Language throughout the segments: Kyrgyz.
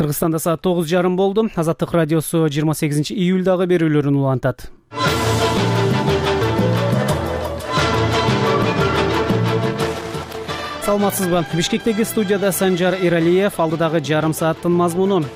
Кыргызстанда саат 9:30 болду. Азаттык радиосу 28-июлдагы берүүлөрүн улантат. Саламатсызбы? Бишкектеги студияда Санжар Эралиев, алдыдагы жарым сааттын мазмуну.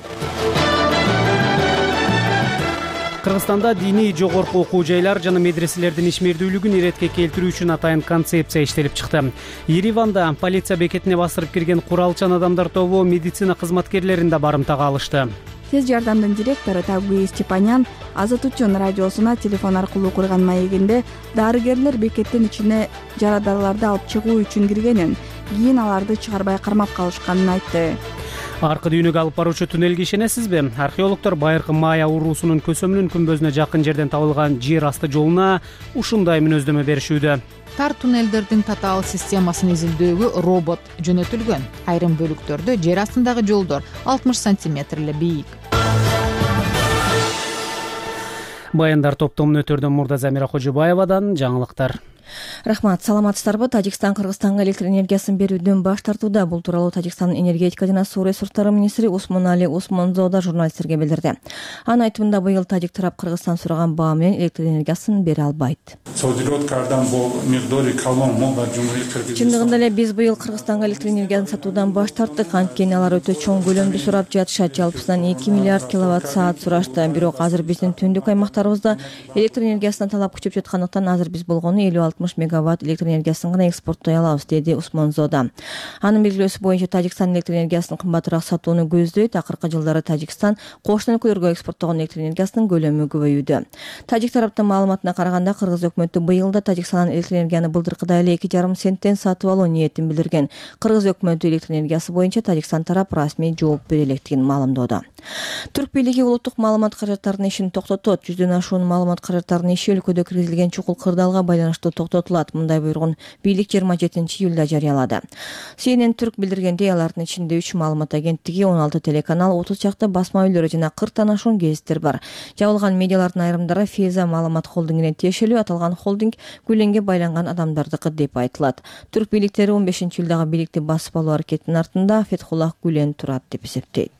Кыргызстанда диний жогорку окуу жайлар жана медреселердин ишмердүүлүгүн иретке келтирүү үчүн атайын концепция иштелип чыкты. Ереванда полиция бекетине басырып кирген куралчан адамдар тобу медицина кызматкерлерин да барымтага алышты. Тез жардамдын директору Тагуи Степанян Азат үчүн радиосуна телефон аркылуу курган маегинде дарыгерлер бекеттин ичине жарадараларды алып чыгуу үчүн киргенин, кийин аларды чыгарбай кармап калышканын айтты. Аркы дүйнөгө алып баруучу туннелге ишенесизби? Археологдор байыркы майя уруусунун көсөмүнүн күмбөзүнө жакын жерден табылган жер асты жолуна ушундай мүнөздөмө беришүүдө. Тар туннелдердин татаал системасын изилдөөгө робот жөнөтүлгөн. Айрым бөлүктөрдө жер астындагы жолдор 60 сантиметр эле бийик. Баяндар топтомун өтөрдөн Мурдазамира Кожобаевадан жаңылыктар. Рахмат, саламатсыздарбы? Тажикстан Кыргызстанга электр энергиясын берүүдөн баш тартууда. Бул тууралуу Тажикстандын энергетика жана суу ресурстары министри Усмонали Усмонзода журналисттерге билдирди. Анын айтымында быйыл тажик тарап Кыргызстан сураган баа менен электр энергиясын бере албайт. Чындыгында эле биз быйыл Кыргызстанга электр энергиясын сатуудан баш тарттык. Анткени алар өтө чоң көлөмдү сурап жатышат. Жалпысынан 2 миллиард киловатт саат сурашты. Бирок азыр биздин түндүк аймактарыбызда электр энергиясына талап күчөп жаткандыктан азыр биз болгону 50-60 мегаватт электр энергиясын гана экспорттой алабыз, деди Усмонзода. Анын белгилөөсү боюнча Тажикстан электр энергиясын кымбатыраак сатууну көздөйт. Акыркы жылдары Тажикстан кошуна өлкөлөргө экспорттогон электр энергиясынын көлөмү көбөйүүдө. Тажик тараптын маалыматына караганда Кыргыз өкмөтү быйыл да Тажикстандан электр энергияны былтыркыдай эле 2,5 центтен сатып алуу ниетин билдирген. Кыргыз өкмөтү электр энергиясы боюнча Тажикстан тарап расмий жооп бере электигин маалымдоодо. Түрк бийлиги улуттук маалымат каражаттарынын ишин токтотот. 100дөн ашуун маалымат каражаттарынын иши өлкөдө киргизилген чукул кырдаалга байланыштуу токтотулат. Мындай буйругун бийлик 27-июлда жарыялады. CNN Түрк билдиргендей, алардын ичинде 3 маалымат агенттиги, 16 телеканал, 30 чакты басма үйлөрү жана 40тан ашуун гезиттер бар. Жабылган медиалардын айрымдары Феза маалымат холдингине тиешелүү. Аталган холдинг Гүленге байланган адамдардыкы деп айтылат. Түрк бийликтери 15-июлдагы бийликти басып алуу аракетинин артында Фетхуллах Гүлен турат деп эсептейт.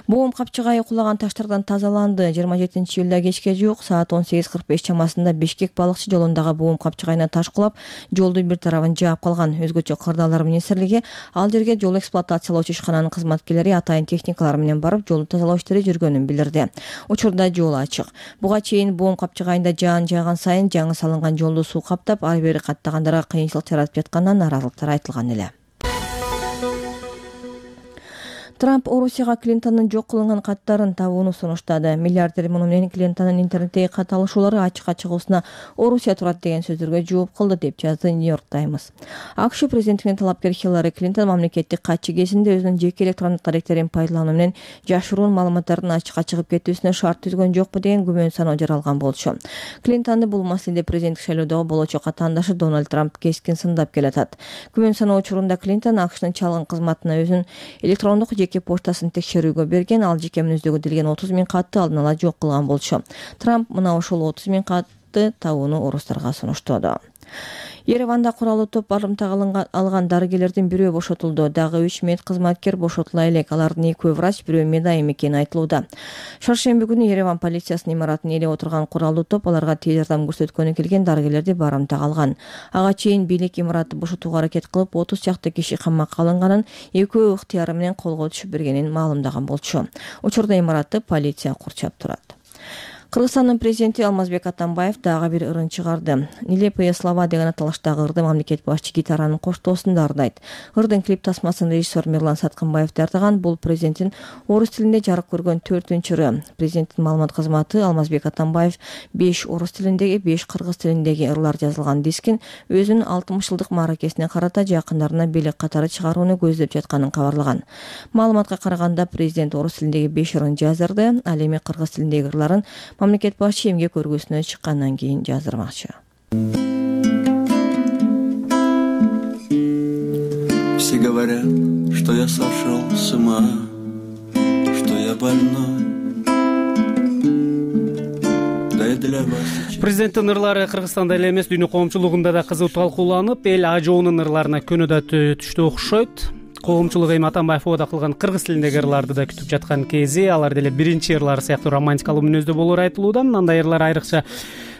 Боом капчыгайы кулаган таштардан тазаланды. 27-июлда кечке жуук саат 18:45 чамасында Бишкек балыкчы жолундагы боом капчыгайына таш кулап, жолдун бир тарабын жаап калган. Өзгөчө Кырдаалдар министрлиги ал жерге жол эксплуатациялоочу ишкананын кызматкерлери атайын техникалар менен барып, жолду тазалоо иштери жүргөнүн билдирди. Учурда жол ачык. Буга чейин боом капчыгайында жаан жааган сайын жаңы салынган жолду суу каптап, ары бери каттагандарга кыйынчылык жаратып жатканынан нааразылыктар айтылган эле. Трамп Орусияга Клинтондун жок кылынган каттарын табууну сунуштады. Миллиардер муну менен Клинтондун интернеттеги кат алышуулары ачыкка чыгуусуна Орусия турат деген сөздөргө жооп кылды деп жазды New York Times. АКШ президентинин талапкер Хиллари Клинтон мамлекеттик катчы кезинде өзүнүн жеке электрондук даректерин пайдалануу менен жашыруун маалыматтардын ачыкка чыгып кетүүсүнө шарт түзгөн жокпу деген күмөн саноо жаралган болчу. Клинтонду бул маселеде президенттик шайлоодогу болочу катаандашы Дональд Трамп кескин сындап келатат. Күмөн саноо учурунда Клинтон АКШнын чалгын кызматына өзүнүн электрондук жеке поштасын текшерүүгө берген, ал жеке мүнөздөгө делген 30 000 катты алдын ала жок кылган болчу. Трамп мына ошол 30 000 катты табууну орустарга сунуштоду. Ереванда куралуу топ барымтага алган дарыгерлердин бирөө бошотулду. Дагы 3 мед кызматкер бошотула элек. Алардын 2 врач, бирөө медайым экени айтылууда. Шаршемби күнү Ереван полициясынын имаратына эле отурган куралуу топ аларга тез жардам көрсөткөнү келген дарыгерлерди барымтага алган. Ага чейин бийлик имаратты бошотууга аракет кылып, 30 чакты киши камакка алынганын, экөө ыктыяры менен колго түшүп бергенин маалымдаган болчу. Учурда имаратты полиция курчап турат. Кыргызстандын президенти Алмазбек Атамбаев дагы бир ырын чыгарды. Нелепые слова деген аталыштагы ырды мамлекет башчы гитаранын коштоосунда ырдайт. Ырдын клип тасмасын режиссер Мирлан Саткынбаев дартаган. Бул президенттин орус тилинде жарык көргөн 4-ыры. Президенттин маалымат кызматы Алмазбек Атамбаев 5 орус тилиндеги, 5 кыргыз тилиндеги ырлар жазылган дискин өзүнүн 60 жылдык мааракесине карата жакындарына белек катары чыгарууну көздөп жатканын кабарлаган. Маалыматка караганда президент орус тилиндеги 5 ырын жаздырды. Ал эми кыргыз тилиндеги ырларын мамлекет башчы эмгек көргөсүнө чыккандан кийин жаздырмакчы. Все говорят, что я сошел с ума, что я больной. Президенттин ырлары Кыргызстанда эле эмес, дүйнө коомчулугунда да кызуу талкууланып, эл ажоонун ырларына көнөдө түштү окшойт. коомчулук эми Атамбаев оода кылган кыргыз тилиндеги ырларды да күтүп жаткан кези, алар деле биринчи ырлар сыяктуу романтикалуу мүнөздө болоору айтылууда. Андай ырлар айрыкча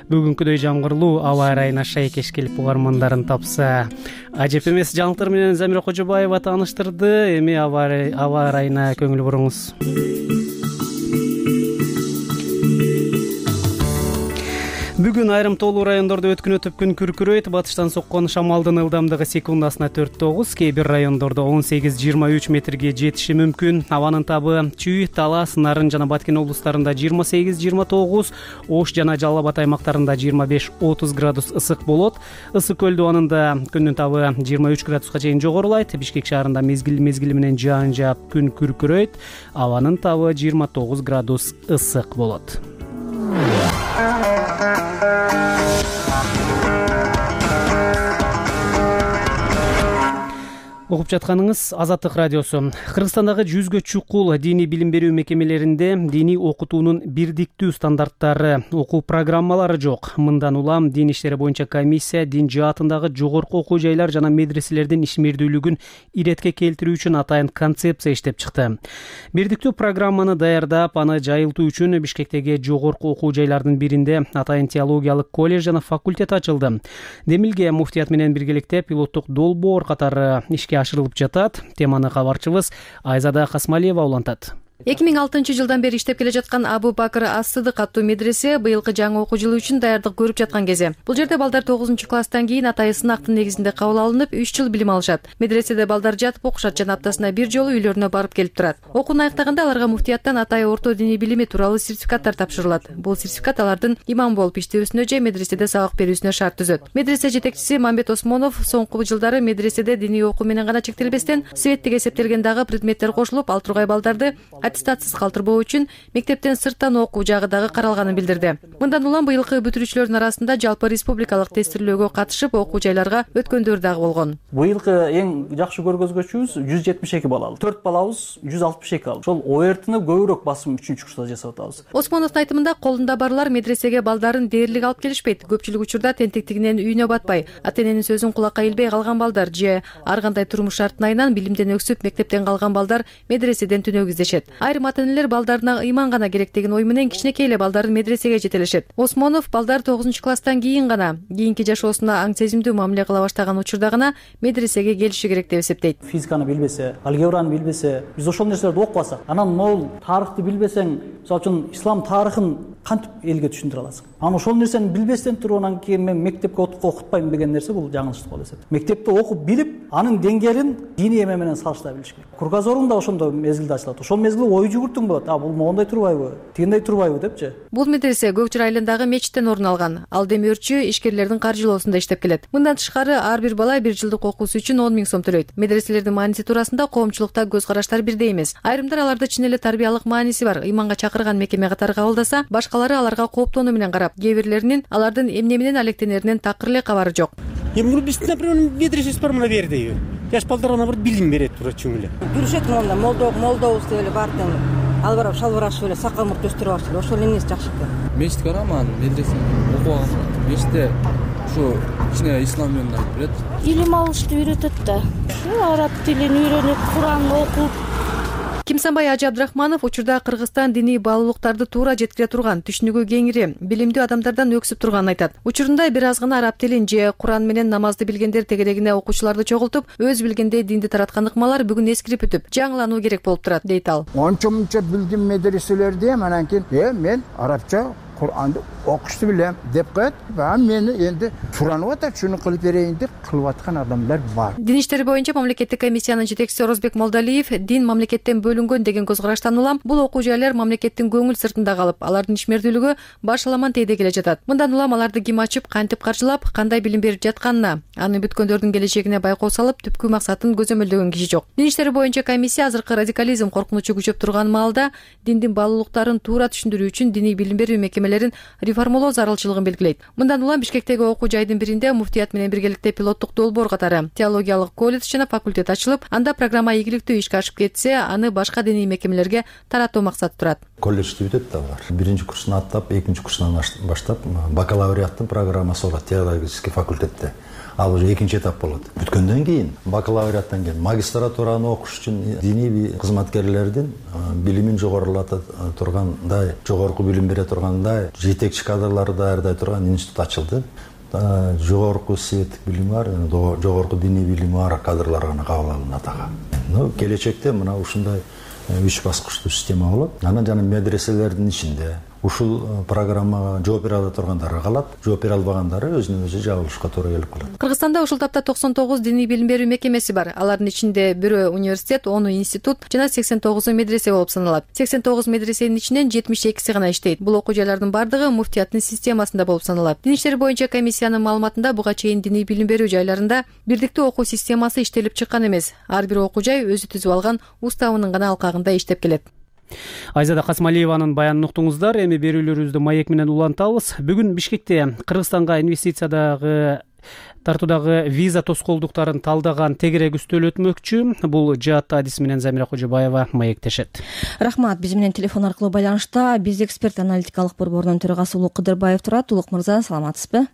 бүгүнкүдөй жамгырлуу аба ырайына шайкеш келип угармандарын тапса. Ажеп эмес жаңылыктар менен Замира Кожобаева тааныштырды. Эми аба ырайына көңүл буруңуз. Бүгүн айрым тоолуу райондордо өткүнөтүп күн күркүрөйт. Батыштан соккон шамалдын ылдамдыгы секундасына 4-9, кээ бир райондордо 18-23 метрге жетиши мүмкүн. Абанын табы Чүй, Талас, Нарын жана Баткен облустарында 28-29, Ош жана Жалал Абад аймактарында 25-30 градус ысык болот. Ысык көл дубанында күндүн табы 23 градуска чейин жогорулайт. Бишкек шаарында мезгили менен жаан жаап күн күркүрөйт. Абанын табы 29 градус ысык болот. Угуп жатканыңыз Азаттык радиосу. Кыргызстандагы 100гө чукул диний билим берүү мекемелеринде диний окутуунун бирдиктүү стандарттары, окуу программалары жок. Мындан улам дин иштери боюнча комиссия дин жаатындагы жогорку окуу жайлар жана медреселердин ишмердүүлүгүн иретке келтирүү үчүн атайын концепция иштеп чыкты. Бирдиктүү программаны даярдап, аны жайылтуу үчүн Бишкектеги жогорку окуу жайлардын биринде атайын теологиялык колледж жана факультет ачылды. Демилге муфтият менен биргеликте пилоттук долбоор катары ишке ашырылып жатат. Теманы кабарчыбыз Айзада Касмалиева улантат. 2006 жылдан бери иштеп келе жаткан Абу Бакыр ас-Сыдык аттуу медресе быйылкы жаңы окуу жылы үчүн даярдык көрүп жаткан кези. Бул жерде балдар 9-класстан кийин атайын сынактын негизинде кабыл алынып, 3 жыл билим алышат. Медреседе балдар жатып окушат жана аптасына бир жолу үйлөрүнө барып келип турат. Окууну аяктаганда аларга муфтияттан атайын орто диний билими тууралуу сертификаттар тапшырылат. Бул сертификат алардын имам болуп иштөөсүнө же медреседе сабак берүүсүнө шарт түзөт. Медресе жетекчиси Мамбет Осмонов соңку жылдары медреседе диний окуу менен гана чектелбестен, светтик эсептелген дагы предметтер кошулуп, ал тургай балдарды аттестатсыз калтырбоо үчүн мектептен сырттан окуу жагы дагы каралганын билдирди. Мындан улам быйылкы бүтүрүүчүлөрдүн арасында жалпы республикалык тестирлөөгө катышып окуу жайларга өткөндөр дагы болгон. Быйылкы эң жакшы көргөзгүчүбүз 172 балл алды. 4 балабыз 162 алды. Ошол ОРТны көбүрөөк басым 3-курста жасап атабыз. Осмоновдун айтымында колунда барлар медресеге балдарын дээрлик алып келишпейт. Көпчүлүк учурда тентектигинен үйүнө батпай, ата-эненин сөзүн кулакка илбей калган балдар же ар кандай турмуш шартынан билимден өксүп мектептен калган балдар медреседен түнөк издешет. Айрым ата-энелер балдарына ыйман гана керек деген ой менен кичинекей эле балдарын медресеге жетелешет. Осмонов балдар 9-класстан кийин гана, кийинки жашоосуна аң сезимдүү мамиле кыла баштаган учурда гана медресеге келиши керек деп эсептейт. Физиканы билбесе, алгебраны билбесе, биз ошол нерселерди окубасак, анан могул тарыхты билбесең, мисалы үчүн ислам тарыхын кантип элге түшүндүрө аласың? Анан ошол нерсени билбестен туруп анан кийин мен мектепке окутпайм деген нерсе бул жаңылыштык болуп эсептейт. Мектепте окуп билип, анын деңгээлин диний эме менен салыштыра билиш керек. Кругозорун да ошондо мезгилде ачылат. Ошол мезгилде ой жүгүртүң болот. Бул моундай турбайбы, тигиндей турбайбы депчи. Бул медресе Көкчүр айылындагы мечиттен орун алган. Ал демөөрчү ишкерлердин каржылоосунда иштеп келет. Мындан тышкары ар бир бала 1 жылдык окуусу үчүн 10 000 сом төлөйт. Медреселердин мааниси туурасында коомчулукта көз караштар бирдей эмес. Айрымдар аларды чын эле тарбиялык мааниси бар, ыйманга чакырган мекеме катары кабылдаса, башкалары аларга кооптонуу менен карап, кээ бирлеринин алардын эмне менен алектенеринен такыр эле кабары жок. Биздин, например, медресебиз бар мына берди. Жаш балдарга бир билим берет тура чүң эле. Жүрүшөт монда молдобуз деп эле бардым. Ал барып шалбар ашып эле сакал мурт өстүрүп алышты. Ошол эмнеси жакшы экен. Мечит бар аман медресе окуган. Мечитте ушу кичине ислам менен айтып берет. Илим алышты үйрөтөт да. Араб тилин үйрөнүп, Куран окуп. Кимсанбай Ажы Абдрахманов учурда Кыргызстан диний баалуулуктарды туура жеткире турган, түшүнүгү кеңири, билимдүү адамдардан өксүп турганын айтат. Учурунда бир аз гана араб тилин же Куран менен намазды билгендер тегерегине окуучуларды чогултуп, өз билгендей динди тараткан ыкмалар бүгүн эскирип бүтүп, жаңылануу керек болуп турат, дейт ал. Ончо-мунча билдим медреселерди, анан кийин мен арабча Куранды окушту билем деп коет. Мени энди суранып атат, шуну кылып берейин деп кылып аткан адамдар бар. Дин иштери боюнча мамлекеттик комиссиянын жетекчиси Орозбек Молдалиев дин мамлекеттен бөлүнгөн деген көз караштан улам бул окуу жайлар мамлекеттин көңүл сыртында калып, алардын ишмердүүлүгү башаламан тейде келе жатат. Мындан улам аларды ким ачып, кантип каржылап, кандай билим берип жатканына, аны бүткөндөрдүн келечегине байкоо салып, түпкү максатын көзөмөлдөгөн киши жок. Дин иштери боюнча комиссия азыркы радикализм коркунучу күчөп турган маалда диндин баалуулуктарын туура түшүндүрүү үчүн диний билим берүү мекемелерин реформалоо зарылчылыгын белгилейт. Мындан улам Бишкектеги окуу жайдын биринде муфтият менен биргеликте пилоттук долбоор катары теологиялык колледж жана факультет ачылып, анда программа ийгиликтүү ишке ашып кетсе, аны башка диний мекемелерге таратуу максаты турат. Колледжди бүтөт да бар. Биринчи курсун аттап, экинчи курсунан баштап бакалавриаттын программасы болот теологический факультетте. ал уже экинчи этап болот. Бүткөндөн кийин бакалавриаттан кийин магистратураны окуш үчүн диний кызматкерлердин билимин жогорулата тургандай, жогорку билим бере тургандай жетекчи кадрларды даярдай турган институт ачылды. Жогорку светтик билими бар, жогорку диний билими бар кадрлар гана кабыл алынат ага. Келечекте мына ушундай 3 баскычтуу система болот. Анан жана медреселердин ичинде ушул программага жооп бере ала тургандар калат, жооп бере албагандары өзүнө өзү жабылышка туура келип калат. Кыргызстанда ушул тапта 99 диний билим берүү мекемеси бар. Алардын ичинде 1 университет, 10 институт жана 89 медресе болуп саналат. 89 медресенин ичинен 72си гана иштейт. Бул окуу жайлардын бардыгы муфтияттын системасында болуп саналат. Дин иштери боюнча комиссиянын маалыматында буга чейин диний билим берүү жайларында бирдиктүү окуу системасы иштелип чыккан эмес. Ар бир окуу жай өзү түзүп алган уставынын гана алкагында иштеп келет. Айзада Касмалиеванын баянын уктуңуздар. Эми берүүлөрүбүздү маек менен улантабыз. Бүгүн Бишкекте Кыргызстанга инвестициядагы тартуудагы виза тоскоолдуктарын талдаган тегерек үстөл өтмөкчү. Бул жаатта адис менен Замира Кожобаева маектешет. Рахмат. Биз менен телефон аркылуу байланышта биз эксперт аналитикалык борборунун төрагасы Улук Кыдырбаев турат. Улук мырза, саламатсызбы?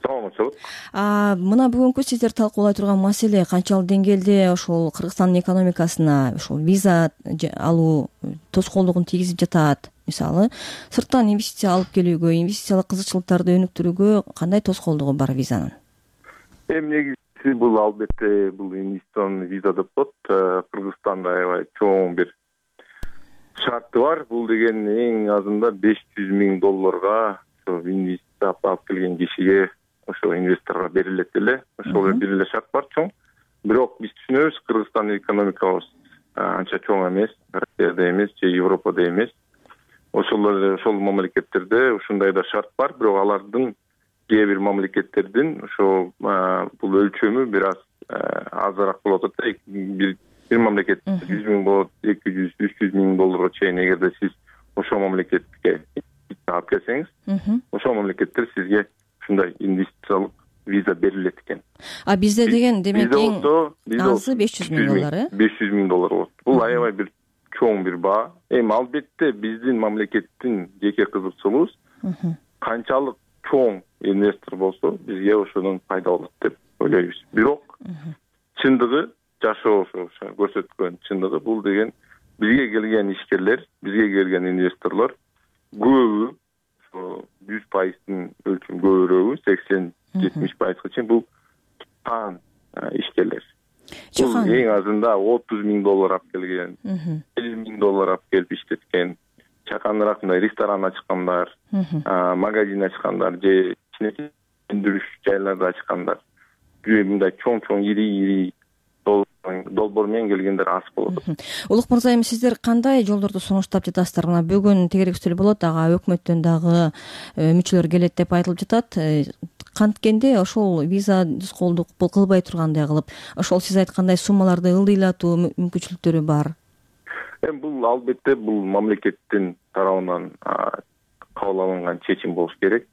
Мына бүгүнкү сиздер талкуулай турган маселе канчалык деңгээлде ошол Кыргызстандын экономикасына ошол виза алуу тоскоолдугун тийгизип жатат? Мисалы, сырттан инвестиция алып келүүгө, инвестициялык кызыкчылыктарды өнүктүрүүгө кандай тоскоолдугу бар визанын? Негизи бул албетте бул инвестиционный виза деп коет. Кыргызстанда аябай чоң бир шарты бар. Бул деген эң азында $500,000 инвестиция алып келген кишиге ошо инвесторго берилет эле. Ошол бир эле шарт бар чоң. Бирок биз түшүнөбүз, Кыргызстандын экономикабыз анча чоң эмес, Россияда эмес же Европада эмес. Ошол мамлекеттерде ушундай да шарт бар, бирок алардын кээ бир мамлекеттердин ошо бул өлчөмү бир аз азыраак болот да. Бир мамлекет $100,000 болот, $200,000-300,000 чейин эгерде сиз ошол мамлекетке алып келсеңиз, ошол мамлекеттер сизге ушундай инвестициялык виза берилет экен. Бизде деген демек эң азы $500,000, $500,000 болот. Бул аябай бир чоң бир баа. Эми албетте биздин мамлекеттин жеке кызыкчылыгыбыз канчалык чоң инвестор болсо, бизге ошонун пайда болот деп ойлойбуз. Бирок чындыгы, жашоо көрсөткөн чындыгы бул деген бизге келген ишкерлер, бизге келген инвесторлор көбү 100%-ын өлчөм көбүрөөгү 80-70%га чейин бул чакан ишкерлер. Бул эң азында $30,000 алып келген, $50,000 алып келип иштеткен, чаканыраак мындай ресторан ачкандар, магазин ачкандар же кичинекей өндүрүш жайларды ачкандар. Мындай чоң ири долбоор менен келгендер аз болот. Улук мырза, эми сиздер кандай жолдорду сунуштап жатасыздар? Мына бүгүн тегерек үстөл болот, ага өкмөттөн дагы мүчөлөр келет деп айтылып жатат. Канткенде ошол виза тоскоолдук кылбай тургандай кылып, ошол сиз айткандай суммаларды ылдыйлатуу мүмкүнчүлүктөрү бар. Эми бул албетте бул мамлекеттин тарабынан кабыл алынган чечим болуш керек.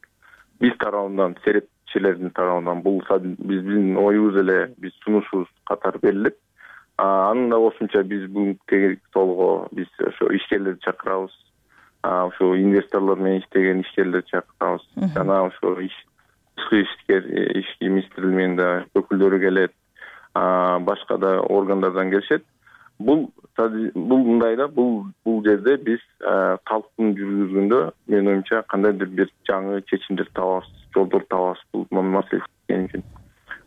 Биз тарабынан, серепчилердин тарабынан бул биздин оюбуз эле, биз сунушубуз катары берилет. Анын да кошумча биз бүгүнкү тегерек столго биз ошо ишкерлерди чакырабыз. Ошо инвесторлор менен иштеген ишкерлерди чакырабыз. Жана ошо ишки министрлигинин да өкүлдөрү келет, башка да органдардан келишет. Бул мындай да, бул жерде биз талкуун жүргүзгөндө менин оюмча кандайдыр бир жаңы чечимдер табабыз, жолдор табабыз бул маселе үчүн.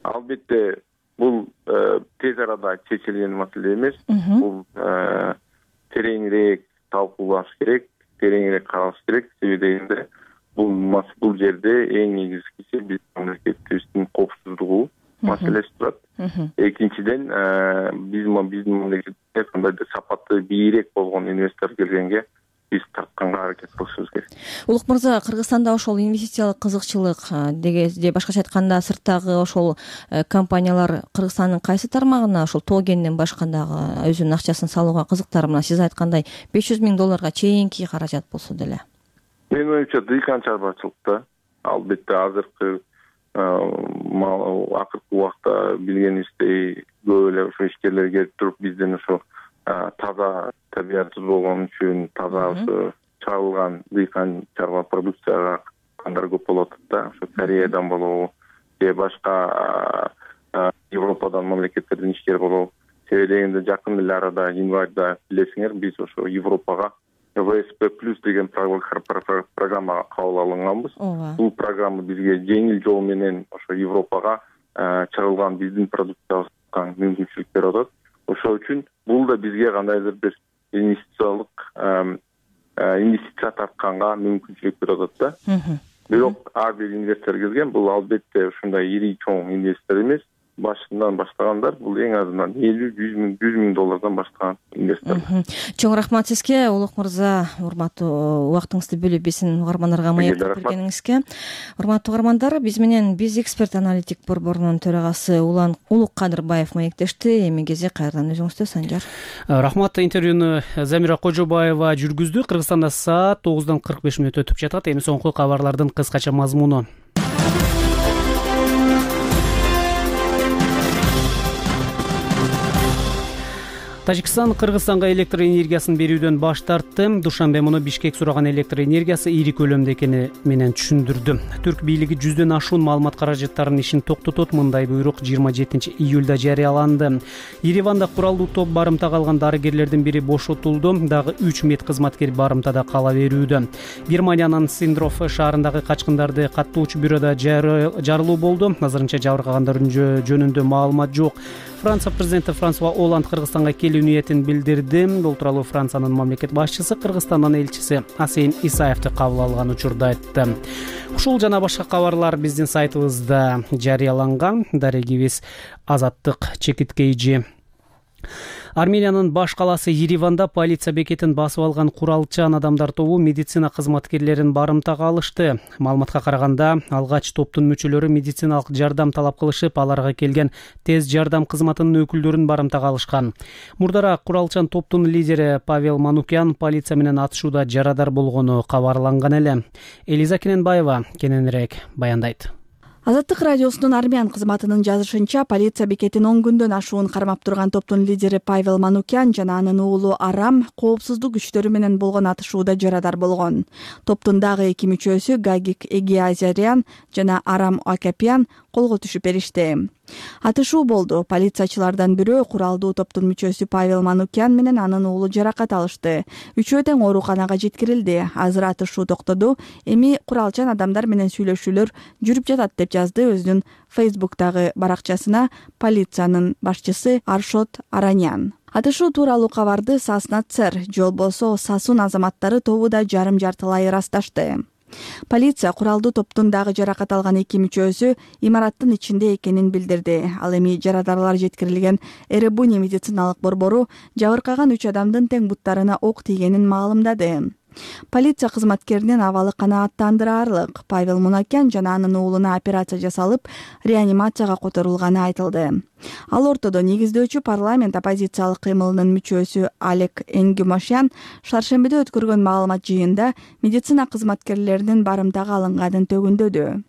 Албетте бул тез арада чечилген маселе эмес. Бул тереңирээк талкуулаш керек, тереңирээк каралыш керек. Себеби дегенде бул жерде эң негизгиси биз мамлекетибиздин коопсуздугу маселеси турат. Экинчиден биздин мамлекетте кандайдыр сапаты бийирээк болгон инвестор келгенге биз тартканга аракет кылышыбыз керек. Улук мырза, Кыргызстанда ошол инвестициялык кызыкчылык же башкача айтканда сырттагы ошол компаниялар Кыргызстандын кайсы тармагына ошол тоогенден башка дагы өзүнүн акчасын салууга кызыктар? Мына сиз айткандай $500,000 чейинки каражат болсо деле. Менин оюмча дыйкан чарбачылыкта албетте азыркы убакта билгениңиздей көп эле ошо ишкерлер келип туруп бизден ошо таза табиятсыз болгон үчүн таза ошо чагылган дыйкан чарба продукцияга кандар көп болуп атат да. Ошо Кореядан болобу же башка Европадан мамлекеттерден ишкер болобу. Себеби дегенде жакын эле арада январда билесиңер биз ошо Европага ВСП+ деген программага кабыл алынганбыз. Бул программа бизге жеңил жол менен ошо Европага чыгылган биздин продукциябызга мүмкүнчүлүк берип атат. Ошол үчүн бул да бизге кандайдыр бир инвестиция тартканга мүмкүнчүлүк берип атат да. Бирок ар бир инвестор келген, бул албетте ушундай ири чоң инвестор эмес. Башынан баштагандар бул эң азынан 50-100 миң доллардан баштаган инвестор. Чоң рахмат сизге, Улук мырза, урматтуу убактыңызды бөлүп биздин угармандарга маектеп бергениңизге. Урматтуу угармандар, биз менен биз эксперт аналитик борборунун төрагасы Улук Кадырбаев маектешти. Эми кези кайрадан өзүңүздө, Санжар. Рахмат. Интервьюну Замира Кожобаева жүргүздү. Кыргызстанда саат 9:45 өтүп жатат. Эми соңку кабарлардын кыскача мазмуну. Тажикстан Кыргызстанга электр энергиясын берүүдөн баш тартты. Душанбе муну Бишкек сураган электр энергиясы ири көлөмдө экени менен түшүндүрдү. Түрк бийлиги 100дөн ашуун маалымат каражаттарынын ишин токтотот. Мындай буйрук 27-июлда жарыяланды. Ереванда куралдуу топ барымтага алган дарыгерлердин бири бошотулду. Дагы 3 медкызматкер барымтада кала берүүдө. Германиянын Синдров шаарындагы качкындарды каттоочу бюрода жарылуу болду. Азырынча жабыркагандар жөнүндө маалымат жок. Франция президенти Франсуа Олланд Кыргызстанга келүү ниетин билдирди. Бул тууралуу Франциянын мамлекет башчысы Кыргызстандын элчиси Асейин Исаевди кабыл алган учурда айтты. Ушул жана башка кабарлар биздин сайтыбызда жарыяланган. Дарегибиз Азаттык чекиткейжи. Армениянын баш каласы Ереванда полиция бекетин басып алган куралчан адамдар тобу медицина кызматкерлерин барымтага алышты. Маалыматка караганда, алгач топтун мүчөлөрү медициналык жардам талап кылышып, аларга келген тез жардам кызматынын өкүлдөрүн барымтага алышкан. Мурдараак куралчан топтун лидери Павел Манукян полиция менен атышууда жарадар болгону кабарланган эле. Элиза Кененбаева кененирээк баяндайт. Азаттык радиосунун армян кызматынын жазышынча, полиция бекетин 10 күндөн ашуун кармап турган топтун лидери Павел Манукян жана анын уулу Арам коопсуздук күчтөрү менен болгон атышууда жарадар болгон. Топтун дагы 2 мүчөсү Гагик Эгиазарян жана Арам Акапян колго түшүп беришти. Атышуу болду. Полициячылардан бирөө куралдуу топтун мүчөсү Павел Манукян менен анын уулу жаракат алышты. Үчөө тең ооруканага жеткирилди. Азыр атышуу токтоду. Эми куралчан адамдар менен сүйлөшүүлөр жүрүп жатат деп жазды өзүнүн Facebook'тагы баракчасына полициянын башчысы Аршот Аранян. Атышуу тууралуу кабарды Саснацер, жолбосо Сасун азаматтары тобу да жарым-жартылай ырасташты. Полиция куралдуу топтун дагы жаракат алган 2 мүчөсү имараттын ичинде экенин билдирди. Ал эми жарадарлар жеткирилген Эребуни медициналык борбору жабыркаган 3 адамдын тең буттарына ок тийгенин маалымдады. Полиция кызматкеринин абалы канааттандыраарлык. Павел Манукян жана анын уулуна операция жасалып, реанимацияга которулганы айтылды. Ал ортодо негиздөөчү парламент оппозициялык кыймылынын мүчөсү Алек Энгюмошян шаршембиде өткөргөн маалымат жыйында медицина кызматкерлеринин барымтага алынганын төгүндөдү.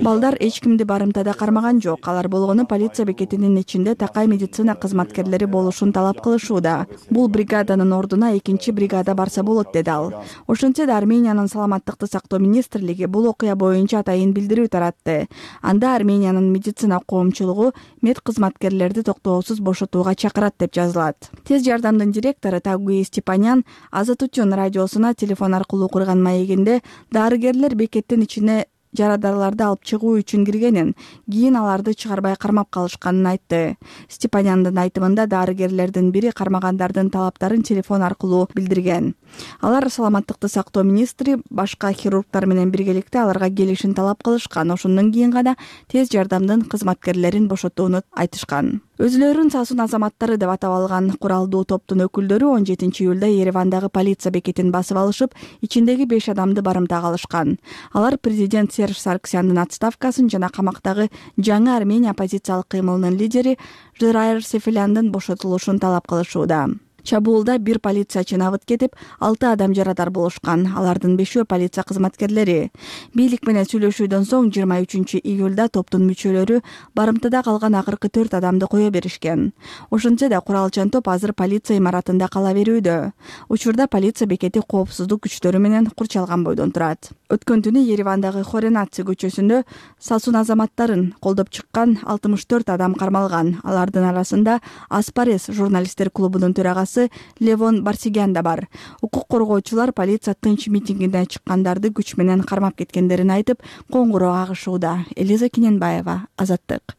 Балдар эч кимди барымтада кармаган жок. Алар болгону полиция бекетинин ичинде такай медицина кызматкерлери болушун талап кылышууда. Бул бригаданын ордуна 2 бригада барса болот, деди ал. Ошентсе да Армениянын саламаттыкты сактоо министрлиги бул окуя боюнча атайын билдирүү таратты. Анда Армениянын медицина коомчулугу мед кызматкерлерди токтоосуз бошотууга чакырат деп жазылат. Тез жардамдын директору Тагуи Степанян Азатутюн радиосуна телефон аркылуу курган маегинде дарыгерлер бекеттин ичине жарадарларды алып чыгуу үчүн киргенин, кийин аларды чыгарбай кармап калышканын айтты. Степаняндын айтымында дарыгерлердин бири кармагандардын талаптарын телефон аркылуу билдирген. Алар саламаттыкты сактоо министри башка хирургтар менен биргеликте аларга келишин талап кылышкан. Ошондон кийин гана тез жардамдын кызматкерлерин бошотууну айтышкан. Өзүлөрүн Сасун азаматтары деп атап алган куралдуу топтун өкүлдөрү 17-июлда Еревандагы полиция бекетин басып алышып, ичиндеги 5 адамды барымтага алышкан. Алар президент Серж Сарксяндын отставкасын жана камактагы жаңы Армения оппозициялык кыймылынын лидери Жырайыр Сефеляндын бошотулушун талап кылышууда. Чабуулда 1 полициячы набыт кетип, 6 адам жарадар болушкан. Алардын 5-өө полиция кызматкерлери. Бийлик менен сүйлөшүүдөн соң 23 июлда топтун мүчөлөрү барымтада калган акыркы 4 адамды кое беришкен. Ошентсе да куралчан топ азыр полиция имаратында кала берүүдө. Учурда полиция бекети коопсуздук күчтөрү менен курчалган бойдон турат. Өткөн түнү Еревандагы Хоренаци көчөсүндө Сасун азаматтарын колдоп чыккан 64 адам кармалган. Алардын арасында Аспарес журналисттер клубунун төрагасы Левон Барсигян да бар. Укук коргоочулар полиция тынч митингине чыккандарды күч менен кармап кеткендерин айтып, коңгуроо агышууда. Элиза Киненбаева, Азаттык.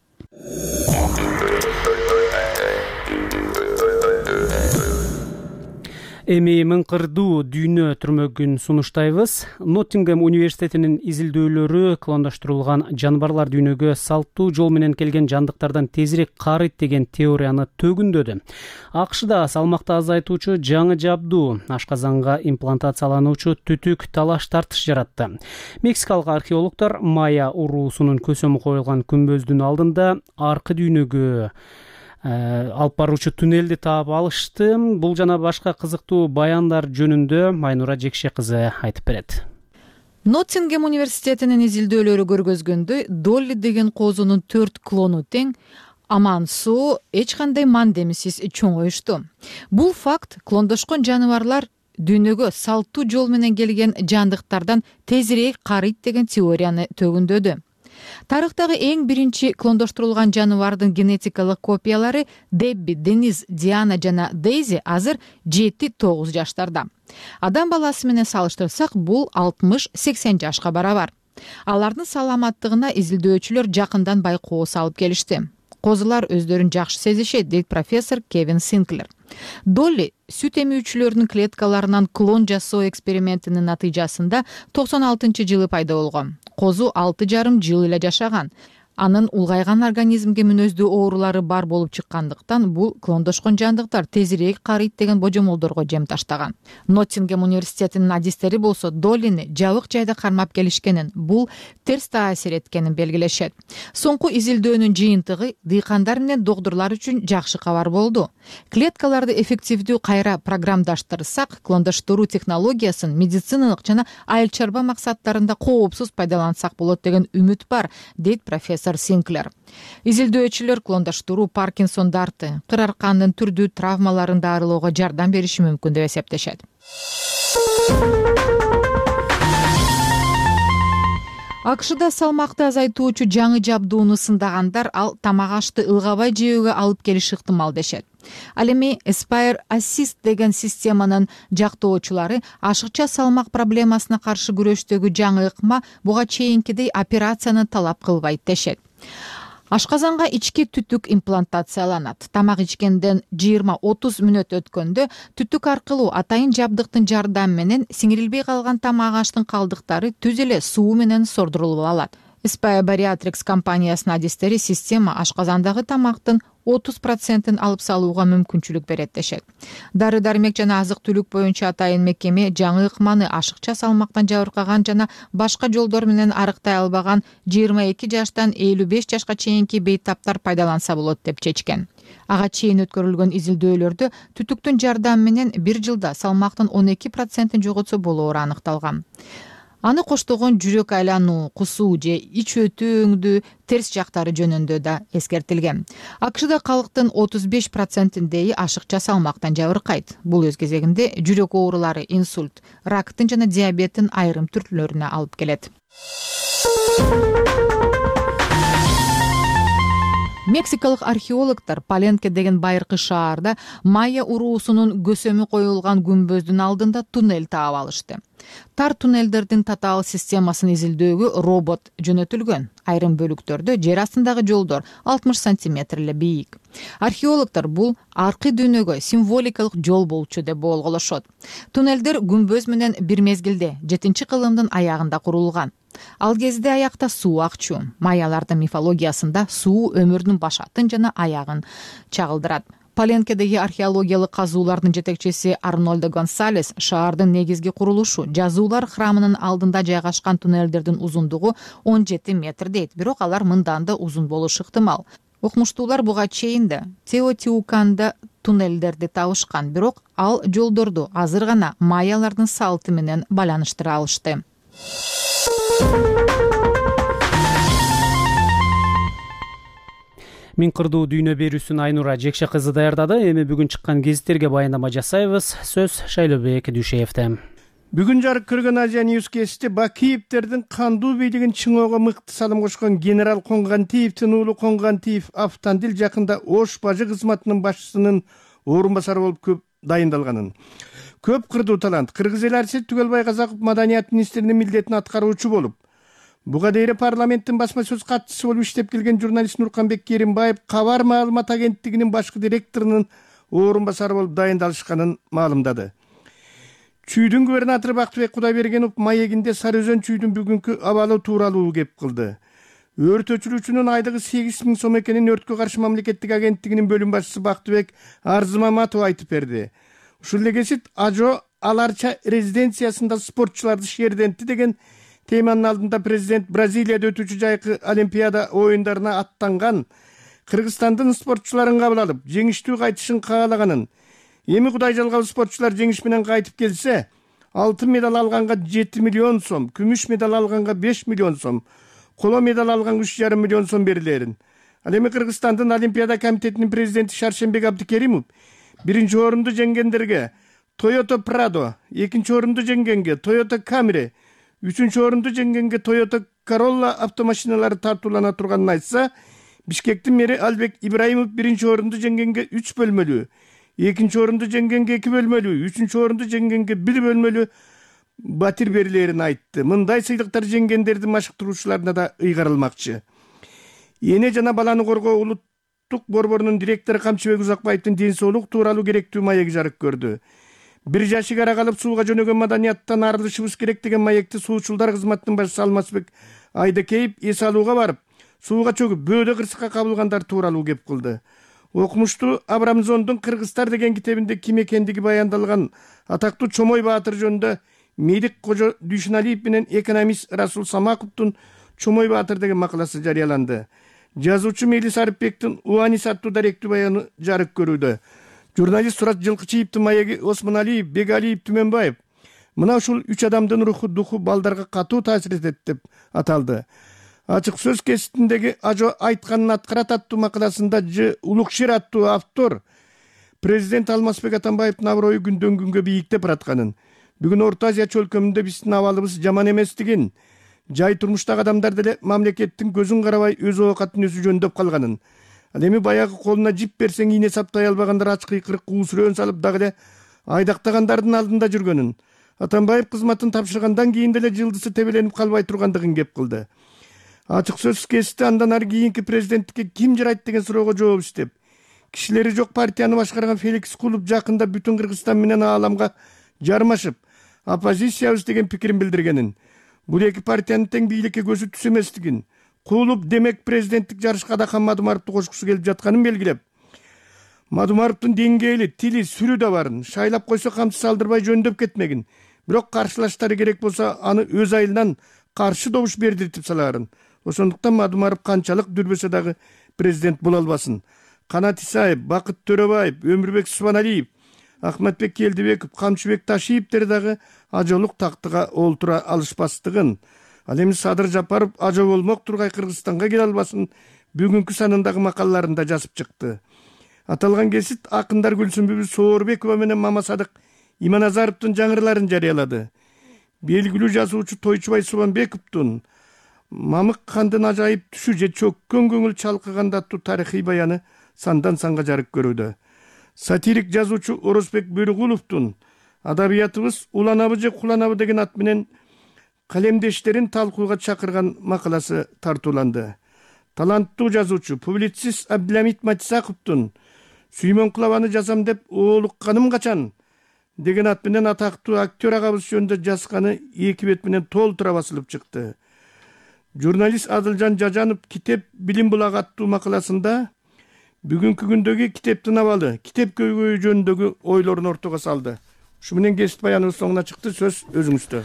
Эми мыңкырдуу дүйнө түрмөгүн сунуштайбыз. Ноттингем университетинин изилдөөлөрү клондоштурулган жаныбарлар дүйнөгө салттуу жол менен келген жандыктардан тезирээк карыйт деген теорияны төгүндөдү. АКШда салмакты азайтуучу жаңы жабдуу ашказанга имплантациялануучу түтүк талаш тартыш жаратты. Мексикалык археологдор майя уруусунун көсөмү коюлган күмбөздүн алдында аркы дүйнөгө алып баруучу туннелди таап алышты. Бул жана башка кызыктуу баяндар жөнүндө Майнура Жекше кызы айтып берет. Ноттингем университетинин изилдөөлөрү көргөзгөндөй, Долли деген коозунун 4 клону тең, аман-соо, эч кандай мандемисиз чоңоюшту. Бул факт клондошкон жаныбарлар дүйнөгө салттуу жол менен келген жандыктардан тезирээк карыйт деген теорияны төгүндөдү. Тарыхтагы эң биринчи клондоштурулган жаныбардын генетикалык копиялары Дебби, Дениз, Диана жана Дейзи азыр 7-9 жаштарда. Адам баласы менен салыштырсак, бул 60-80 жашка барабар. Алардын саламаттыгына изилдөөчүлөр жакындан байкоо салып келишти. Козулар өздөрүн жакшы сезишет, дейт профессор Кевин Синклер. Долли сүт эмүүчүлөрдүн клеткаларынан клон жасоо экспериментинин натыйжасында 96-жылы пайда болгон. Козу 6,5 жыл эле жашаган. Анын улгайган организмге мүнөздүү оорулары бар болуп чыккандыктан бул клондошкон жандыктар тезирээк карыйт деген божомолдорго жем таштаган. Ноттингем университетинин адистери болсо Доллини жабык жайда кармап келишкенин, бул терс таасир эткенин белгилешет. Соңку изилдөөнүн жыйынтыгы дыйкандар менен доктурлар үчүн жакшы кабар болду. Клеткаларды эффективдүү кайра программдаштырсак, клондоштуруу технологиясын медициналык жана айыл чарба максаттарында коопсуз пайдалансак болот деген үмүт бар, дейт профессор Синклер. Изилдөөчүлөр клондоштуруу Паркинсон дарты, кыр аркандын түрдүү травмаларын дарылоого жардам бериши мүмкүн деп эсептешет. АКШда салмакты азайтуучу жаңы жабдууну сындагандар ал тамак ашты ылгабай жөөгө алып келиши ыктымал дешет. Ал эми Aspire Assist деген системанын жактоочулары ашыкча салмак проблемасына каршы күрөштөгү жаңы ыкма буга чейинкидей операцияны талап кылбайт дешет. Ашказанга ички түтүк имплантацияланат. Тамак ичкенден 20-30 мүнөт өткөндө түтүк аркылуу атайын жабдыктын жардамы менен сиңирилбей калган тамак аштын калдыктары түз эле суу менен сордурулуп алат. Aspire Bariatrics компаниясынын адистери система ашказандагы тамактын 30% алып салууга мүмкүнчүлүк берет дешет. Дары-дармек жана азык-түлүк боюнча атайын мекеме жаңы ыкманы ашыкча салмактан жабыркаган жана башка жолдор менен арыктай албаган 22 жаштан 55 жашка чейинки бейтаптар пайдаланса болот деп чечкен. Ага чейин өткөрүлгөн изилдөөлөрдө түтүктүн жардамы менен 1 жылда салмактын 12% жоготсо болоору аныкталган. Аны коштогон жүрөк айлануу, кусуу же ич өтүү терс жактары жөнүндө да эскертилген. АКШда калктын 35%-деи ашыкча салмактан жабыркайт. Бул өз кезегинде жүрөк оорулары, инсульт, рактын жана диабеттин айрым түрлөрүнө алып келет. Мексикалык археологдор Паленке деген байыркы шаарда майя уруусунун көсөмү коюлган күмбөздүн алдында туннель таап алышты. Тар туннелдердин татаал системасын изилдөөгө робот жөнөтүлгөн. Айрым бөлүктөрдө жер астындагы жолдор 60 сантиметр эле бийик. Археологдор бул аркы дүйнөгө символикалык жол болчу деп болголошот. Туннелдер күмбөз менен бир мезгилде 7-кылымдын аягында курулган. Ал кезде аякта суу акчу. Майялардын мифологиясында суу өмүрдүн башатын жана аягын чагылдырат. Паленкедеги археологиялык казуулардын жетекчиси Арнольдо Гонсалес шаардын негизги курулушу жазуулар храмынын алдында жайгашкан туннелдердин узундугу 17 метр дейт, бирок алар мындан да узун болушу ыктымал. Окумуштуулар буга чейин да Теотиуканда туннелдерди табышкан, бирок ал жолдорду азыр гана майялардын салты менен байланыштыра алышты. Миң кырдуу дүйнө берүүсүн Айнура Жекше кызы даярдады. Эми бүгүн чыккан гезиттерге баяндама жасайбыз. Сөз Шайлообек Дүйшеевде. Бүгүн жарык көргөн Азия Ньюс кести Бакиевтердин кандуу бийлигин чыңоого мыкты салым кошкон генерал Конгантиевдин уулу Конгантиев Автандил жакында Ош бажы кызматынын башчысынын орун басары болуп көп дайындалганын. Көп кырдуу талант Кыргыз эли Арсет Түгөлбай Казаков маданият министринин милдетин аткаруучу болуп, буга дейин парламенттин басма сөз катчысы болуп иштеп келген журналист Нурканбек Керимбаев Кабар маалымат агенттигинин башкы директорунун орун басары болуп дайындалышканын маалымдады. Чүйдүн губернатору Бактыбек Кудайбергенов маегинде Сары Өзөн чүйдүн бүгүнкү абалы тууралуу кеп кылды. Өрт өчүрүүчүнүн айлыгы 8.000 сом экенин өрткө каршы мамлекеттик агенттигинин бөлүм башчысы Бактыбек Арзымаматов айтып берди. Ушул эле кесип Ажо Аларча резиденциясында спортчуларды шердентти деген теманын алдында президент Бразилияда өтүүчү жайкы Олимпиада оюндарына аттанган Кыргызстандын спортчуларын кабыл алып, жеңиштүү кайтышын каалаганын, эми Кудай жалгап спортчулар жеңиш менен кайтып келсе, алтын медаль алганга 7 миллион сом, күмүш медаль алганга 5 миллион сом, коло медаль алганга 3,5 миллион сом берилерин. Ал эми Кыргызстандын Олимпиада комитетинин президенти Шаршембек Абдикеримов биринчи орунду жеңгендерге Toyota Prado, экинчи орунду жеңгенге Toyota Camry, үчүнчү орунду жеңгенге Toyota Corolla автомашиналары тартуулана турганын айтса, Бишкектин мэри Албек Ибраимов биринчи орунду жеңгенге 3 бөлмөлүү, экинчи орунду жеңгенге 2 бөлмөлүү, үчүнчү орунду жеңгенге 1 бөлмөлүү батир берилерин айтты. Мындай сыйлыктар жеңгендердин машыктыруучуларына да ыйгарылмакчы. Эне жана баланы коргоо улуттук борборунун директору Камчыбек Узакбаевдин ден соолук тууралуу керектүү маеги жарык көрдү. 1 жашык ара калып сууга жөнөгөн маданияттан арылышыбыз керек деген маекти суучулдар кызматынын башчысы Алмазбек Айдакеев эс алууга барып, сууга чөгүп бөөдө кырсыкка кабылгандар тууралуу кеп кылды. Окумуштуу Абрамзондун Кыргызстар деген китебинде ким экендиги баяндалган атактуу Чомой Баатыр жөнүндө Медик Кожо Дүйшүналиев менен экономист Расул Самаковдун Чомой Баатыр деген макаласы жарыяланды. Жазуучу Мелис Арыпбектин Уанис аттуу даректүү баяны жарык көрүүдө. Журналист Сурат Жылкычиевдин маеги Осмоналиев, Бегалиев, Түмөнбаев мына ушул 3 адамдын руху духу балдарга катуу таасир этет деп аталды. Ачык сөз кеситиндеги Ажо айтканын аткарат аттуу макаласында Ж Улукшер аттуу автор президент Алмазбек Атамбаевдин аброю күндөн күнгө бийиктеп баратканын, бүгүн Орто Азия чөлкөмүндө биздин абалыбыз жаман эместигин, жай турмуштагы адамдар деле мамлекеттин көзүн карабай өз оокатын өзү жөндөп калганын, ал эми баягы колуна жип берсең ийне саптай албагандар ач кыйкырык уусурөөн салып дагы эле айдактагандардын алдында жүргөнүн, Атамбаев кызматын тапшыргандан кийин деле жылдысы тебеленип калбай тургандыгын кеп кылды. Ачык сөз кести андан ары кийинки президенттикке ким жарайт деген суроого жооп издеп, кишилери жок партияны башкарган Феликс Кулуп жакында бүтүн Кыргызстан менен ааламга жармашып, оппозициябыз деген пикирин билдиргенин, бул эки партиянын тең бийликке көзү түз эместигин, Кулуп демек президенттик жарышка да Мадумаровду кошкусу келип жатканын белгилеп, Мадумаровдун деңгээли, тили, сүрү да барын, шайлап койсо камчы салдырбай жөндөп кетмегин, бирок каршылаштары керек болсо аны өз айылынан каршы добуш бердиртип салаарын. Ошондуктан Мадумаров канчалык дүрбөсө дагы президент боло албасын. Канат Исаев, Бакыт Төрөбаев, Өмүрбек Субаналиев, Ахматбек Келдибеков, Камчыбек Ташиевдер дагы ажолук тактыга олтура алышпастыгын, ал эми Садыр Жапаров ажо болмок тургай Кыргызстанга келе албасын бүгүнкү санындагы макалаларында жазып чыкты. Аталган кесит акындар Гүлсүмбү Соорбекова менен Мамасадык Иманазаровдун жаңырыларын жарыялады. Белгилүү жазуучу Тойчубай Субанбековдун Мамык хандын ажайып түшү же чөккөн көңүл чалкыганда аттуу тарыхый баяны сандан санга жарык көрүүдө. Сатирик жазуучу Орозбек Бөрүгуловдун Адабиятыбыз уланабы же куланабы деген ат менен калемдештерин талкууга чакырган макаласы тартууланды. Таланттуу жазуучу публицист Абдиламит Матисаковдун Сүймөнкулабаны жазам деп оолукканым качан деген ат менен атактуу актер агабыз жөнүндө жазганы 2 бет менен толтура басылып чыкты. Журналист Адылжан Жажанов Китеп билим булагы аттуу макаласында бүгүнкү күндөгү китептин абалы, китеп көйгөйү жөнүндөгү ойлорун ортого салды. Ушу менен кесип баяныбыз соңуна чыкты. Сөз өзүңүздө.